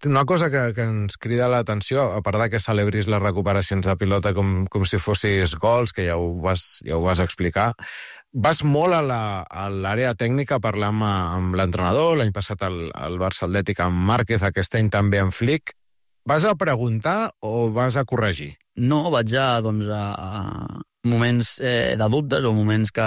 Una cosa que ens crida l'atenció, a part de que celebris les recuperacions de pilota com si fossis gols, que ja ho vas explicar, vas molt a l'àrea tècnica a parlar amb l'entrenador, l'any passat al Barça Atlètic amb Márquez, aquest any també amb Flick. Vas a preguntar o vas a corregir? No, vaig a moments de dubtes o moments que...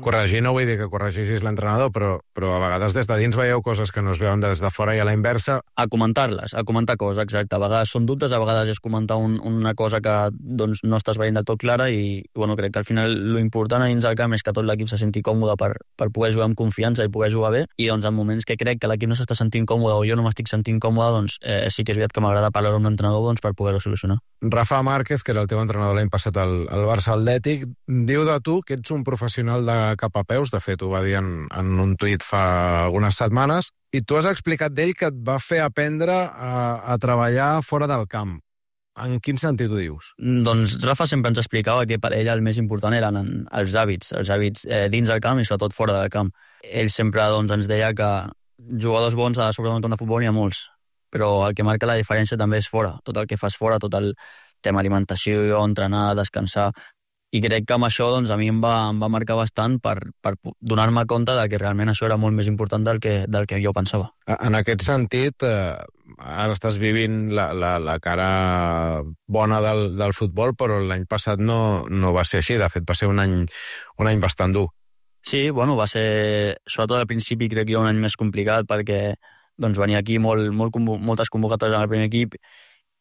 Corregir no vull dir que corregissis l'entrenador, però a vegades des de dins veieu coses que no es veuen des de fora, i a la inversa... A comentar-les, a comentar coses, exacte. A vegades són dubtes, a vegades és comentar una cosa que no estàs veient del tot clara, i crec que al final l'important a dins del camp és que tot l'equip se senti còmode per poder jugar amb confiança i poder jugar bé, i en moments que crec que l'equip no s'està sentint còmode o jo no m'estic sentint còmode, sí que és veritat que m'agrada parlar amb l'entrenador per poder-ho solucionar. Rafa Márquez, que era el teu entrenador l'any passat al Barça Atlètic, diu de tu que ets un professional de cap a peus, de fet ho va dir en un tuit fa algunes setmanes, i tu has explicat d'ell que et va fer aprendre a treballar fora del camp. En quin sentit ho dius? Doncs Rafa sempre ens explicava que per ell el més important eren els hàbits dins del camp i sobretot fora del camp. Ell sempre ens deia que jugadors bons a sobre d'un camp de futbol hi ha molts, però el que marca la diferència també és fora, tot el que fas fora, tot el tema alimentació, entrenar, descansar, i crec que amb això a mi em va marcar bastant per donar-me compte de que realment això era molt més important del que jo pensava. En aquest sentit, ara estàs vivint la cara bona del futbol, però l'any passat no va ser així, de fet va ser un any bastant dur. Sí, va ser, sobretot al principi crec que un any més complicat, perquè venia aquí moltes convocatòries en el primer equip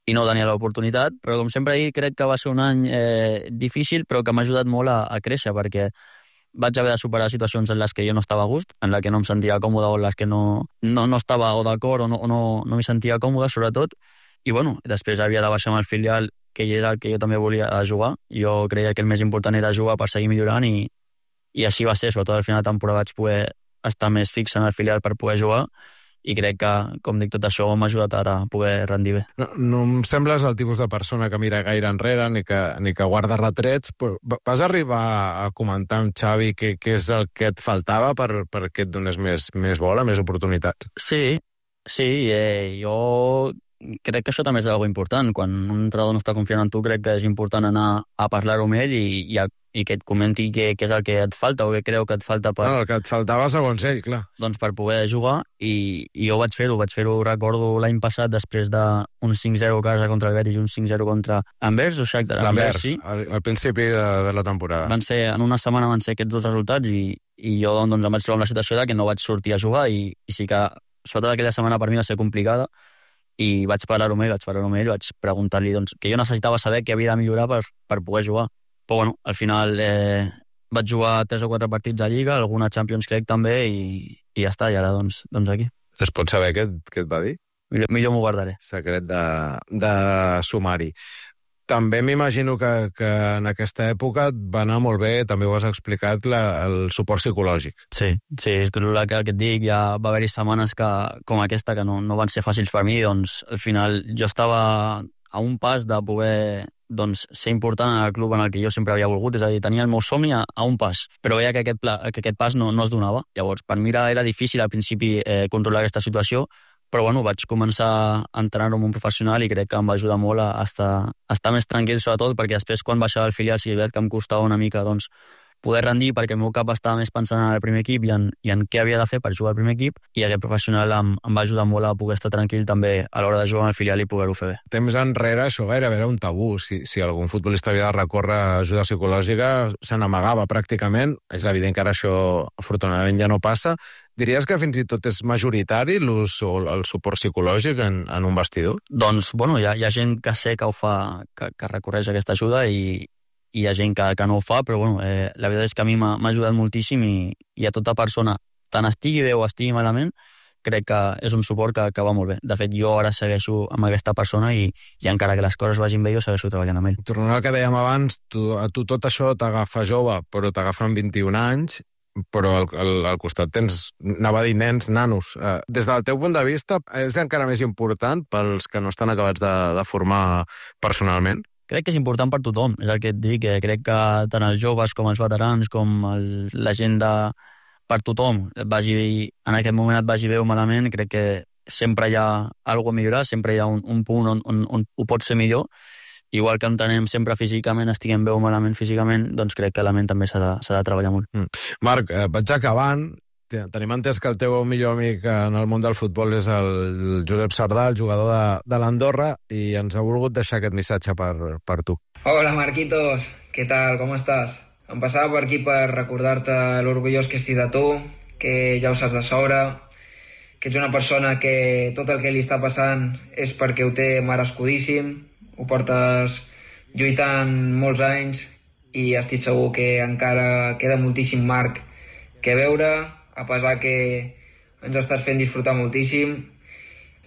i no tenia l'oportunitat, però com sempre crec que va ser un any difícil, però que m'ha ajudat molt a créixer, perquè vaig haver de superar situacions en les que jo no estava a gust, en les que no em sentia còmode o en les que no estava o d'acord o no m'hi sentia còmode, sobretot, i després havia de baixar amb el filial, que era el que jo també volia jugar. Jo creia que el més important era jugar per seguir millorant, i així va ser, sobretot al final de temporada vaig poder estar més fix en el filial per poder jugar, i crec que, com dic, tot això m'ha ajudat ara a poder rendir bé. No em sembles el tipus de persona que mira gaire enrere ni que guarda retrets, però vas arribar a comentar amb Xavi què és el que et faltava perquè et donés més bola, més oportunitats? Sí, jo crec que això també és una cosa important. Quan un entrenador no està confiant en tu, crec que és important anar a parlar-ho amb ell i que et comenti què és el que et falta o què creu que et falta per... el que et faltava segons ell, clar. Doncs per poder jugar, i jo vaig fer-ho, recordo l'any passat, després d'un 5-0 a casa contra el Betis i un 5-0 contra Anvers o Shakhtar. L'Anvers, sí. Al principi de la temporada. En una setmana van ser aquests dos resultats, i jo em vaig trobar amb la situació de que no vaig sortir a jugar, i sí que sobretot aquella setmana per mi va ser complicada, i vaig parlar-ho amb ell, vaig preguntar-li que jo necessitava saber què havia de millorar per poder jugar. Però al final vaig jugar 3 o 4 partits a Lliga, alguna Champions crec també, i ja està, i ara doncs aquí. Es pot saber què et va dir? Millor m'ho guardaré. Secret de sumari. També m'imagino que en aquesta època et va anar molt bé, també ho has explicat, el suport psicològic. Sí, és que el que et dic, ja va haver-hi setmanes com aquesta que no van ser fàcils per mi, doncs al final jo estava a un pas de poder ser important en el club en el que jo sempre havia volgut, és a dir, tenia el meu somni a un pas, però veia que aquest pas no es donava. Llavors, per mi era difícil al principi controlar aquesta situació, però bueno, vaig començar a entrenar com un professional i crec que em va ajudar molt a estar més tranquil, sobretot perquè després quan baixava al filial sí que em costava una mica poder rendir, perquè el meu cap estava més pensant en el primer equip i en què havia de fer per jugar al primer equip, i aquest professional em va ajudar molt a poder estar tranquil també a l'hora de jugar al filial i poder-ho fer bé. Temps enrere això gairebé era un tabú. Si algun futbolista havia de recórrer ajuda psicològica, se n'amagava pràcticament. És evident que ara això afortunadament ja no passa. Diries que fins i tot és majoritari l'ús o el suport psicològic en un vestidor? Doncs, bueno, hi ha gent que sé que ho fa, que recorreix a aquesta ajuda i hi ha gent que no ho fa, però bueno, la veritat és que a mi m'ha ajudat moltíssim i a tota persona, tant estigui bé o estigui malament, crec que és un suport que va molt bé. De fet, jo ara segueixo amb aquesta persona i encara que les coses vagin bé, jo segueixo treballant amb ell. Tornant al que dèiem abans, a tu tot això t'agafa jove, però t'agafa amb 21 anys, però al costat tens, anava a dir nens, nanos. Des del teu punt de vista, és encara més important pels que no estan acabats de formar personalment? Crec que és important per tothom, és el que et dic, crec que tant els joves com els veterans, com la gent per tothom, en aquest moment et vagi bé o malament, crec que sempre hi ha alguna a millorar, sempre hi ha un punt on ho pot ser millor, igual que entenem sempre físicament, estiguem bé o malament físicament, doncs crec que la ment també s'ha de treballar molt. Marc, vaig acabant. Tenim entès que el teu millor amic en el món del futbol és el Josep Sardà, el jugador de l'Andorra, i ens ha volgut deixar aquest missatge per tu. Hola, Marquitos, què tal, com estàs? Em passava per aquí per recordar-te l'orgullós que estic de tu, que ja ho saps de sobre, que ets una persona que tot el que li està passant és perquè ho té merescudíssim, ho portes lluitant molts anys i estic segur que encara queda moltíssim Marc que veure, a pesar que ens estàs fent disfrutar moltíssim,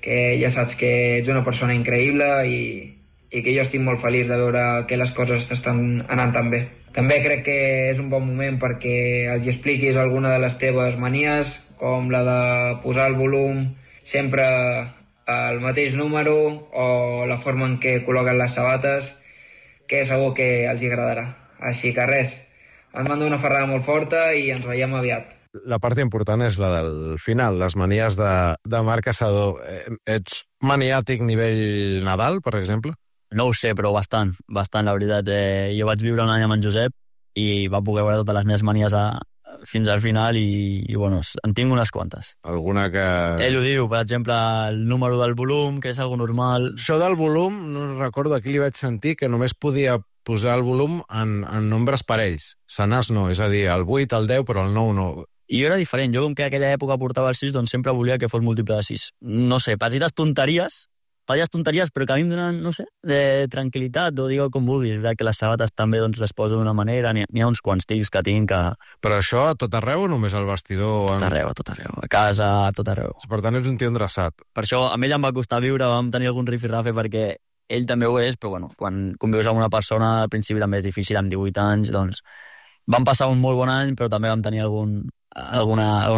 que ja saps que ets una persona increïble i que jo estic molt feliç de veure que les coses estan anant tan bé. També crec que és un bon moment perquè els expliquis alguna de les teves manies, com la de posar el volum sempre al mateix número o la forma en què col·loquen les sabates, que segur que els agradarà. Així que res, et mando una ferrada molt forta i ens veiem aviat. La part important és la del final, les manies de Marc Caçador. Ets maniàtic nivell Nadal, per exemple? No ho sé, però bastant, la veritat. Jo vaig viure un any amb en Josep i va poder veure totes les meves manies fins al final i bueno, en tinc unes quantes. Alguna que... Ell ho diu, per exemple, el número del volum, que és algo normal. Això del volum, no recordo, aquí li vaig sentir que només podia posar el volum en nombres parells. Senars no, és a dir, el 8, el 10, però el 9 no. I jo era diferent, jo com que aquella època portava el 6, doncs sempre volia que fos múltiple de 6. No sé, petites tonteries, però que a mi em donen, no sé, de tranquil·litat, o digue com vulguis, que les sabates també doncs, les poso d'una manera, n'hi ha uns quants tics que tinc que... Però això a tot arreu o només al vestidor? A tot arreu, a casa, a tot arreu. Per tant, ets un tio endreçat. Per això a ell em va costar viure, vam tenir algun rifirrafe perquè ell també ho és, però bueno, quan convius amb una persona al principi també és difícil, amb 18 anys, doncs vam passar un molt bon any, però també vam tenir alguna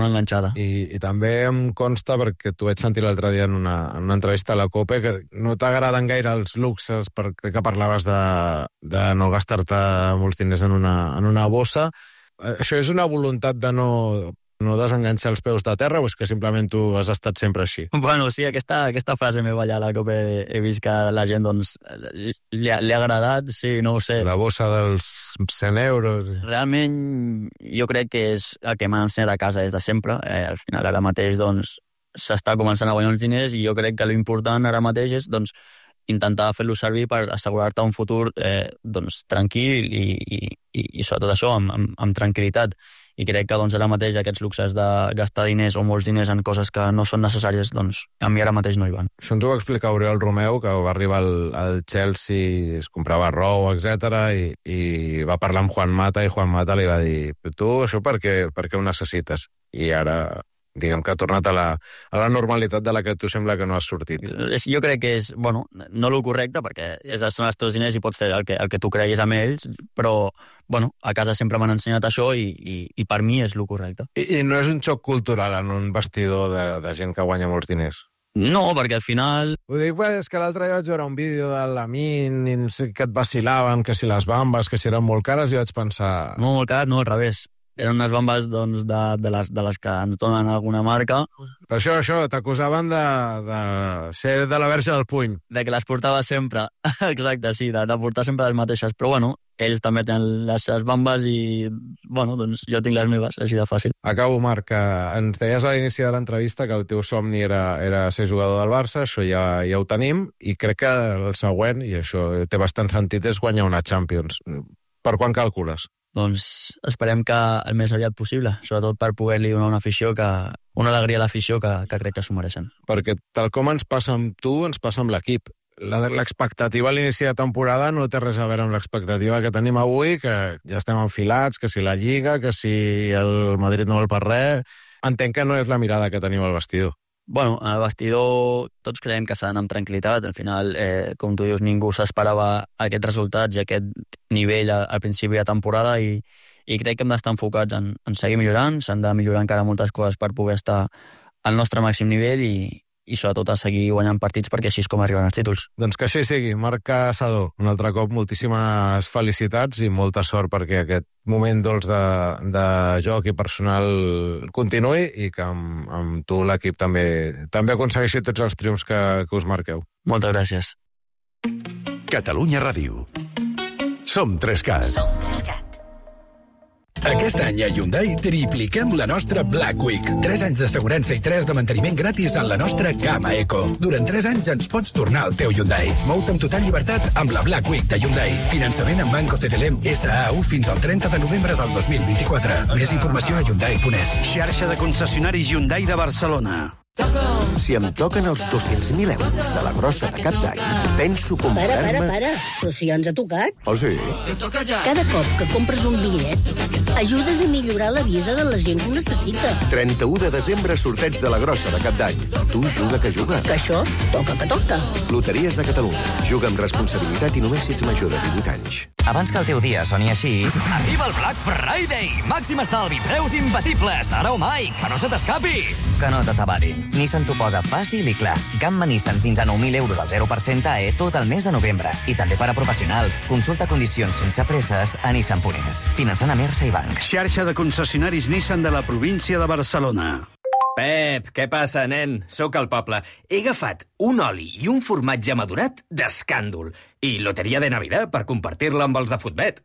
enganxada. I també em consta, perquè t'ho vaig sentir l'altre dia en una entrevista a la COPE, que no t'agraden gaire els luxes, perquè que parlaves de no gastar-te molts diners en una bossa. Això és una voluntat de no desenganxar els peus de terra o és que simplement tu has estat sempre així? Bueno, sí, aquesta frase meva allà a la COPE he vist que la gent doncs, li ha agradat, sí, no ho sé. La bossa dels 100 euros... Realment jo crec que és el que m'ha ensenyat a casa des de sempre. Al final ara mateix doncs, s'està començant a guanyar els diners i jo crec que l'important ara mateix és doncs, intentar fer-lo servir per assegurar-te un futur doncs, tranquil i sobretot això, amb tranquil·litat. I crec que doncs, ara mateix aquests luxes de gastar diners o molts diners en coses que no són necessàries, doncs a mi ara mateix no hi van. Això ens ho va explicar Oriol Romeu, que va arribar al Chelsea, es comprava roba, etc i va parlar amb Juan Mata i Juan Mata li va dir tu això per què ho necessites? I ara... diguem que ha tornat a la normalitat de la que tu sembla que no has sortit. Jo crec que és, bueno, no el correcte, perquè són els teus diners i pots fer el que tu creguis amb ells, però, bueno, a casa sempre m'han ensenyat això i per mi és el correcte. I no és un xoc cultural en un vestidor de gent que guanya molts diners? No, perquè al final... Ho dic perquè és que l'altre dia vaig veure un vídeo de Lamin i no sé que et vacilaven, que si les bambes, que si eren molt cares, i vaig pensar... No, molt cares, no, al revés. Eren unes bambes doncs, de les que ens donen alguna marca. Per això, t'acusaven de ser de la verge del puny. De que les portava sempre. Exacte, sí, de portar sempre les mateixes. Però bueno, ells també tenen les bambes i, bueno, doncs jo tinc les meves, així de fàcil. Acabo, Marc, que ens deies a l'inici de l'entrevista que el teu somni era ser jugador del Barça, això ja ho tenim, i crec que el següent, i això té bastant sentit, és guanyar una Champions. Per quan calcules? Doncs esperem que el més aviat possible, sobretot per poder-li donar una alegria a l'afició que crec que s'ho mereixen. Perquè tal com ens passa amb tu, ens passa amb l'equip. L'expectativa a l'inici de temporada no té res a veure amb l'expectativa que tenim avui, que ja estem enfilats, que si la Lliga, que si el Madrid no vol per res... Entenc que no és la mirada que tenim al vestidor. Bueno, al vestidor tots creiem que s'ha d'anar amb tranquil·litat. Al final, com tu dius, ningú s'esperava aquests resultats i aquest nivell al principi de temporada i crec que hem d'estar enfocats en seguir millorant. S'han de millorar encara moltes coses per poder estar al nostre màxim nivell i sobretot a seguir guanyant partits perquè així és com arriben els títols. Doncs que així sigui. Marc Caçador, un altre cop moltíssimes felicitats i molta sort perquè aquest moment dolç de joc i personal continuï i que amb tu l'equip també aconsegueixi tots els triomfs que us marqueu. Moltes gràcies. Catalunya Ràdio. Som 3CAT. Som 3CAT. Aquest any a Hyundai tripliquem la nostra Black Week. 3 anys d'assegurança i 3 de manteniment gratis en la nostra gamma Eco. Durant 3 anys ens pots tornar al teu Hyundai. Mou-te amb total llibertat amb la Black Week de Hyundai. Finançament en Banco CTLM SAU fins al 30 de novembre del 2024. Més informació a Hyundai.es. Xarxa de concessionaris Hyundai de Barcelona. Si em toquen els 200.000 euros de la grossa de cap d'any, penso comprar-me... Para. Però si ja ens ha tocat. Oh, sí? Cada cop que compres un bitllet, ajudes a millorar la vida de la gent que ho necessita. 31 de desembre, sorteig de la grossa de cap d'any. Tu juga que juga. Que això toca que toca. Loteries de Catalunya. Juga amb responsabilitat i només si ets major de 18 anys. Abans que el teu dia soni així... Arriba el Black Friday! Màxim estalvi, preus imbatibles! Ara o mai, que no se t'escapi! Que no t'atabarin. Nissan t'ho posa fàcil i clar. Gamma Nissan fins a 9.000 euros al 0% AE tot el mes de novembre. I també per a professionals. Consulta condicions sense presses a Nissan.es. Finançant a Mersa i Banc. Xarxa de concessionaris Nissan de la província de Barcelona. Pep, què passa, nen? Sóc al poble. He agafat un oli i un formatge madurat d'escàndol. I loteria de Navidad per compartir-la amb els de Futbet.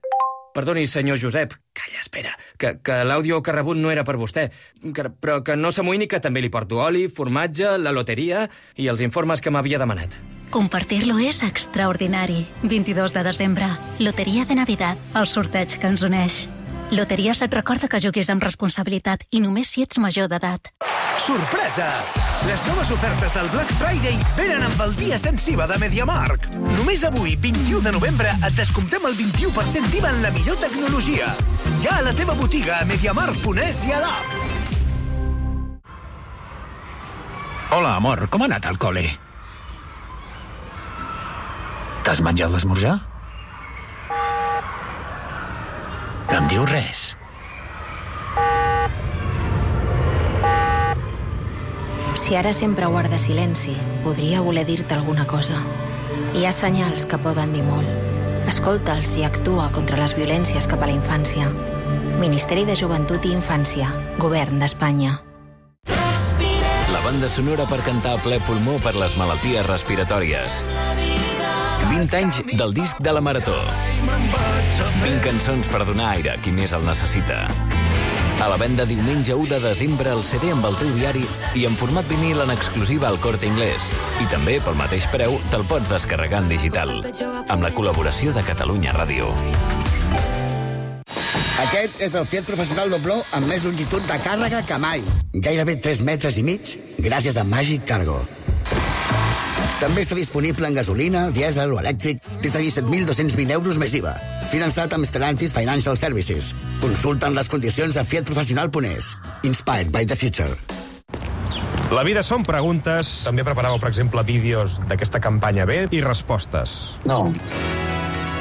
Perdoni, senyor Josep. Calla, espera, que l'àudio que ha rebut no era per vostè. Però que no s'amoïni que també li porto oli, formatge, la loteria i els informes que m'havia demanat. Compartir-lo és extraordinari. 22 de desembre, Loteria de Navidad, el sorteig que ens uneix. Loteries et recorda que juguis amb responsabilitat i només si ets major d'edat. Sorpresa! Les noves ofertes del Black Friday venen amb el dia sensiva de MediaMarkt. Només avui, 21 de novembre, et descomptem el 21% d'IVA en la millor tecnologia. Ja a la teva botiga, a MediaMarkt.es i a l'app. Hola, amor, com ha anat al col·le? T'has menjat l'esmorzar? No em diu res. Si ara sempre guarda silenci, podria voler dir-te alguna cosa. Hi ha senyals que poden dir molt. Escolta'ls i actua contra les violències cap a la infància. Ministeri de Joventut i Infància. Govern d'Espanya. La banda sonora per cantar a ple pulmó per les malalties respiratòries. 20 anys del disc de la Marató. 20 cançons per donar aire a qui més el necessita. A la venda diumenge 1 de desembre el CD amb el teu diari i en format vinil en exclusiva al Corte Inglés. I també, pel mateix preu, te'l pots descarregar en digital. Amb la col·laboració de Catalunya Ràdio. Aquest és el Fiat Professional Dobló amb més longitud de càrrega que mai. Gairebé 3 metres i mig, gràcies a Magic Cargo. També està disponible en gasolina, dièsel o elèctric des de 17.220 euros més IVA. Finançat amb Stellantis Financial Services. Consulten les condicions a fiatprofessional.es. Inspired by the future. La vida són preguntes. També preparàveu, per exemple, vídeos d'aquesta campanya B i respostes. No.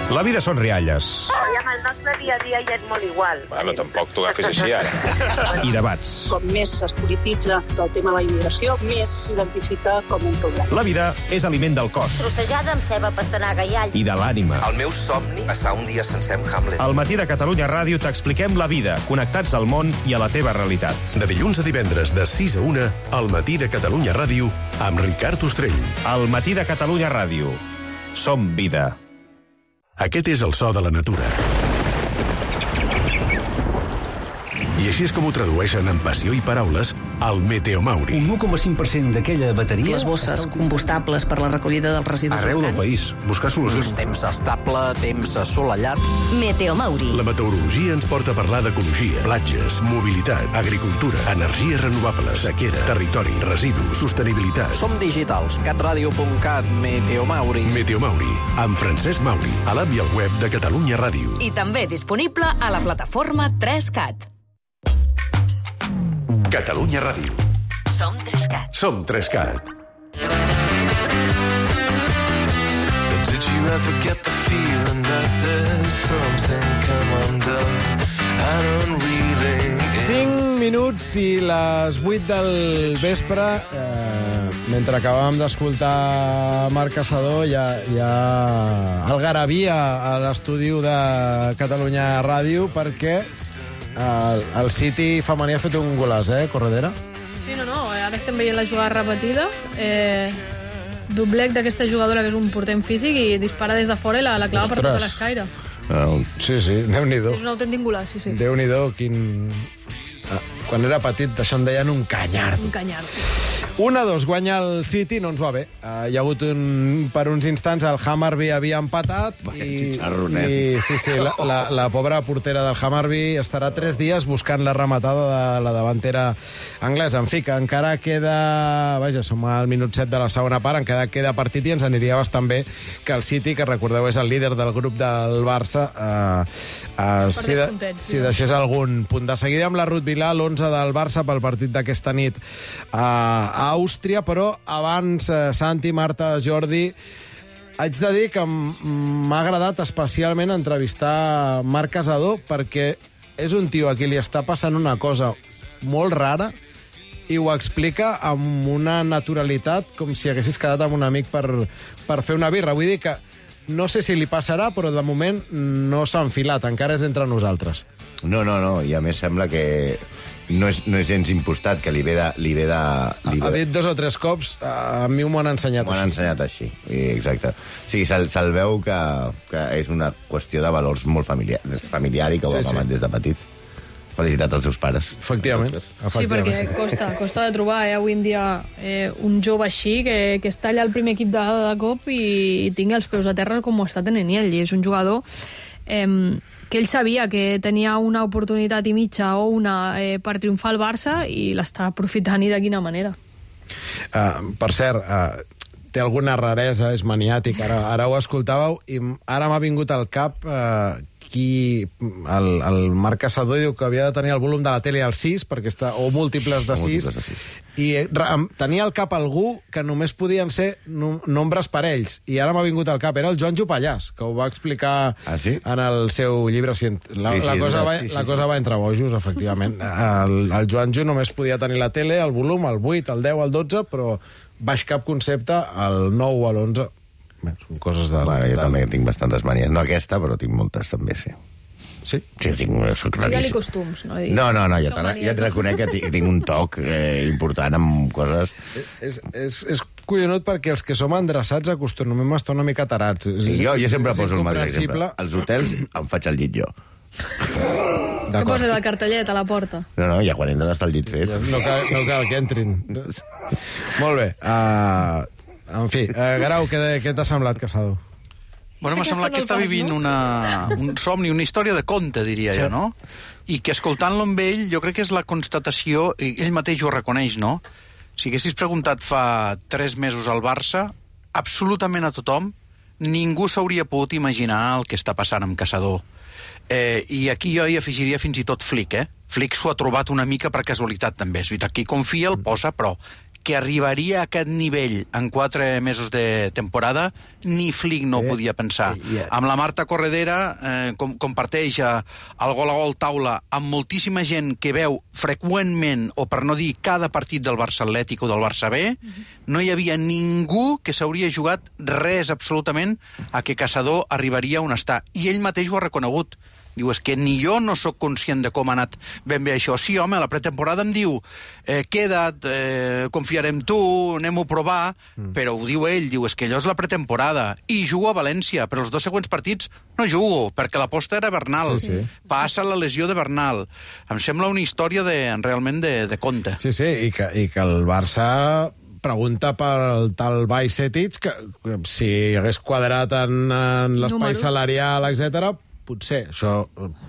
La vida són rialles. Oh, llama el nostre dia a dia ja és molt igual. Bueno, tampoc t'ho agafis així, ara. I debats. Com més es polititza el tema de la immigració, més s'identifica com un problema. La vida és aliment del cos. Trossejada amb ceba, pastanaga i all. I de l'ànima. El meu somni, passar un dia sencer amb Hamlet. Al matí de Catalunya Ràdio t'expliquem la vida, connectats al món i a la teva realitat. De dilluns a divendres, de 6 a 1, al matí de Catalunya Ràdio, amb Ricard Ostrell. Al matí de Catalunya Ràdio. Som vida. Aquest és el so de la natura. I així és com ho tradueixen en passió i paraules al Meteomauri. Un 1,5% d'aquella bateria... Les bosses combustables per la recollida dels residus arreu del país. Buscar solucions. Temps estable, temps assolellat. Meteomauri. La meteorologia ens porta a parlar d'ecologia, platges, mobilitat, agricultura, energies renovables, sequera, territori, residus, sostenibilitat. Som digitals. catradio.cat, Meteomauri. Meteomauri, amb Francesc Mauri, a l'app i al web de Catalunya Ràdio. I també disponible a la plataforma 3CAT. Catalunya Ràdio. Som 3CAT. Som 3CAT. Did you ever get the feeling that there's something come undone? I don't really... 5 minuts i les 8 del vespre, mentre acabàvem d'escoltar Marc Caçador, hi ha algarabia a l'estudi de Catalunya Ràdio, perquè el City femení ha fet un golaç, Corredera? Sí, no, ara estem veient la jugada repetida. Doblec d'aquesta jugadora, que és un portent físic, i dispara des de fora i la clava per tota l'escaire. Sí, Déu-n'hi-do. És un autèntic golaç, sí. Déu-n'hi-do, quin... Quan era petit, d'això en deien un canyard. Un canyard. 1-2, guanya el City, no ens va bé. Hi ha hagut per uns instants el Hammarby havia empatat i la pobra portera del Hammarby estarà 3 dies buscant la rematada de la davantera anglesa. En fi, que encara queda... Vaja, som al minut 7 de la segona part, encara queda partit i ens aniria bastant bé que el City, que recordeu és el líder del grup del Barça, si deixés algun punt. De seguida amb la Ruth Vilà, l'11 del Barça pel partit d'aquesta nit a Àustria, però abans, Santi, Marta, Jordi, haig de dir que m'ha agradat especialment entrevistar Marc Caçador, perquè és un tio a qui li està passant una cosa molt rara i ho explica amb una naturalitat com si haguessis quedat amb un amic per fer una birra. Vull dir que no sé si li passarà, però de moment no s'ha enfilat, encara és entre nosaltres. No, i a més sembla que no és gens impostat, que li ve de... Ha dit 2 o 3 cops, a mi m'ho han ensenyat així. M'ho han ensenyat així, exacte. O sigui, se'l veu que és una qüestió de valors molt familiar i que ho ha amat des de petit. Felicitats als seus pares. Efectivament. Sí, perquè costa de trobar avui en dia un jove així que es talla el primer equip de cop i tingui els peus a terra com ho està tenint ell. I és un jugador que ell sabia que tenia una oportunitat i mitja o una per triomfar al Barça i l'està aprofitant i de quina manera. Per cert, té alguna raresa, és maniàtic, ara ho escoltàveu i ara m'ha vingut al cap el Marc Caçador diu que havia de tenir el volum de la tele al 6 perquè o múltiples de 6 i tenia al cap algú que només podien ser nombres parells i ara m'ha vingut al cap, era el Joan Jopallàs, que ho va explicar en el seu llibre. La cosa va entre bojos, efectivament. El Joan Jo només podia tenir la tele, el volum, el 8, el 10, el 12, però baix cap concepte, el 9 o l'11. Són coses de... Jo també tinc bastantes manies. No aquesta, però tinc moltes també, sí. Sí? Sí, soc raríssim. Digue-li costums, no? No, jo et reconec que tinc un toc important amb coses... És collonut perquè els que som endreçats acostumem a estar una mica tarats. Sí, jo sempre poso el mateix exemple. Als hotels em faig el llit jo. Que posa el cartellet a la porta. No, ja quan entren està el llit fet. No cal que entrin. Molt bé. En fi, Grau, què t'ha semblat, Caçador? Bueno, m'ha semblat que està vivint un somni, una història de conte, diria jo, no? I que escoltant-lo amb ell, jo crec que és la constatació, ell mateix ho reconeix, no? Si haguessis preguntat fa 3 mesos al Barça, absolutament a tothom, ningú s'hauria pogut imaginar el que està passant amb Caçador. I aquí jo hi afegiria fins i tot Flick, Flick s'ho ha trobat una mica per casualitat, també. És veritat, qui confia el posa, però que arribaria a aquest nivell en 4 mesos de temporada, ni Flick no ho podia pensar. Amb la Marta Corredera comparteix el gol a gol taula amb moltíssima gent que veu freqüentment, o per no dir cada partit del Barça Atlètic o del Barça B, no hi havia ningú que s'hauria jugat res absolutament a que Caçador arribaria on està. I ell mateix ho ha reconegut. Diu, és que ni jo no sóc conscient de com ha anat ben bé això. Sí, home, la pretemporada em diu queda't, confiarem en tu, anem-ho a provar, però ho diu ell, diu, és que allò és la pretemporada. I jugo a València, però els 2 següents partits no jugo, perquè l'aposta era Bernal. Sí, sí. Passa la lesió de Bernal. Em sembla una història realment de conte. Sí, sí, i que el Barça pregunta pel tal Bajcetic, que si hagués quadrat en l'espai salarial, etc., potser, això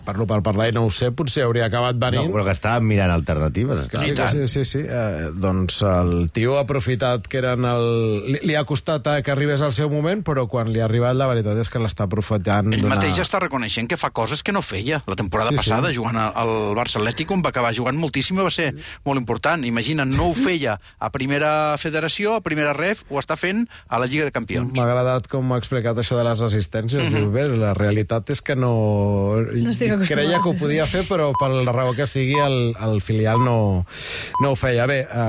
parlo per parlar i no ho sé, potser hauria acabat venint. No, però que estàvem mirant alternatives. Sí. Doncs el tio ha aprofitat que eren li ha costat que arribés al seu moment, però quan li ha arribat la veritat és que l'està aprofitant. Ell mateix està reconeixent que fa coses que no feia. La temporada passada, jugant al Barça Atlètic, on va acabar jugant moltíssim, va ser molt important. Imagina, no ho feia a primera federació, a primera ref, ho està fent a la Lliga de Campions. M'ha agradat com ha explicat això de les assistències. Diu, bé, la realitat és que no creia que ho podia fer, però per la raó que sigui el filial no ho feia bé.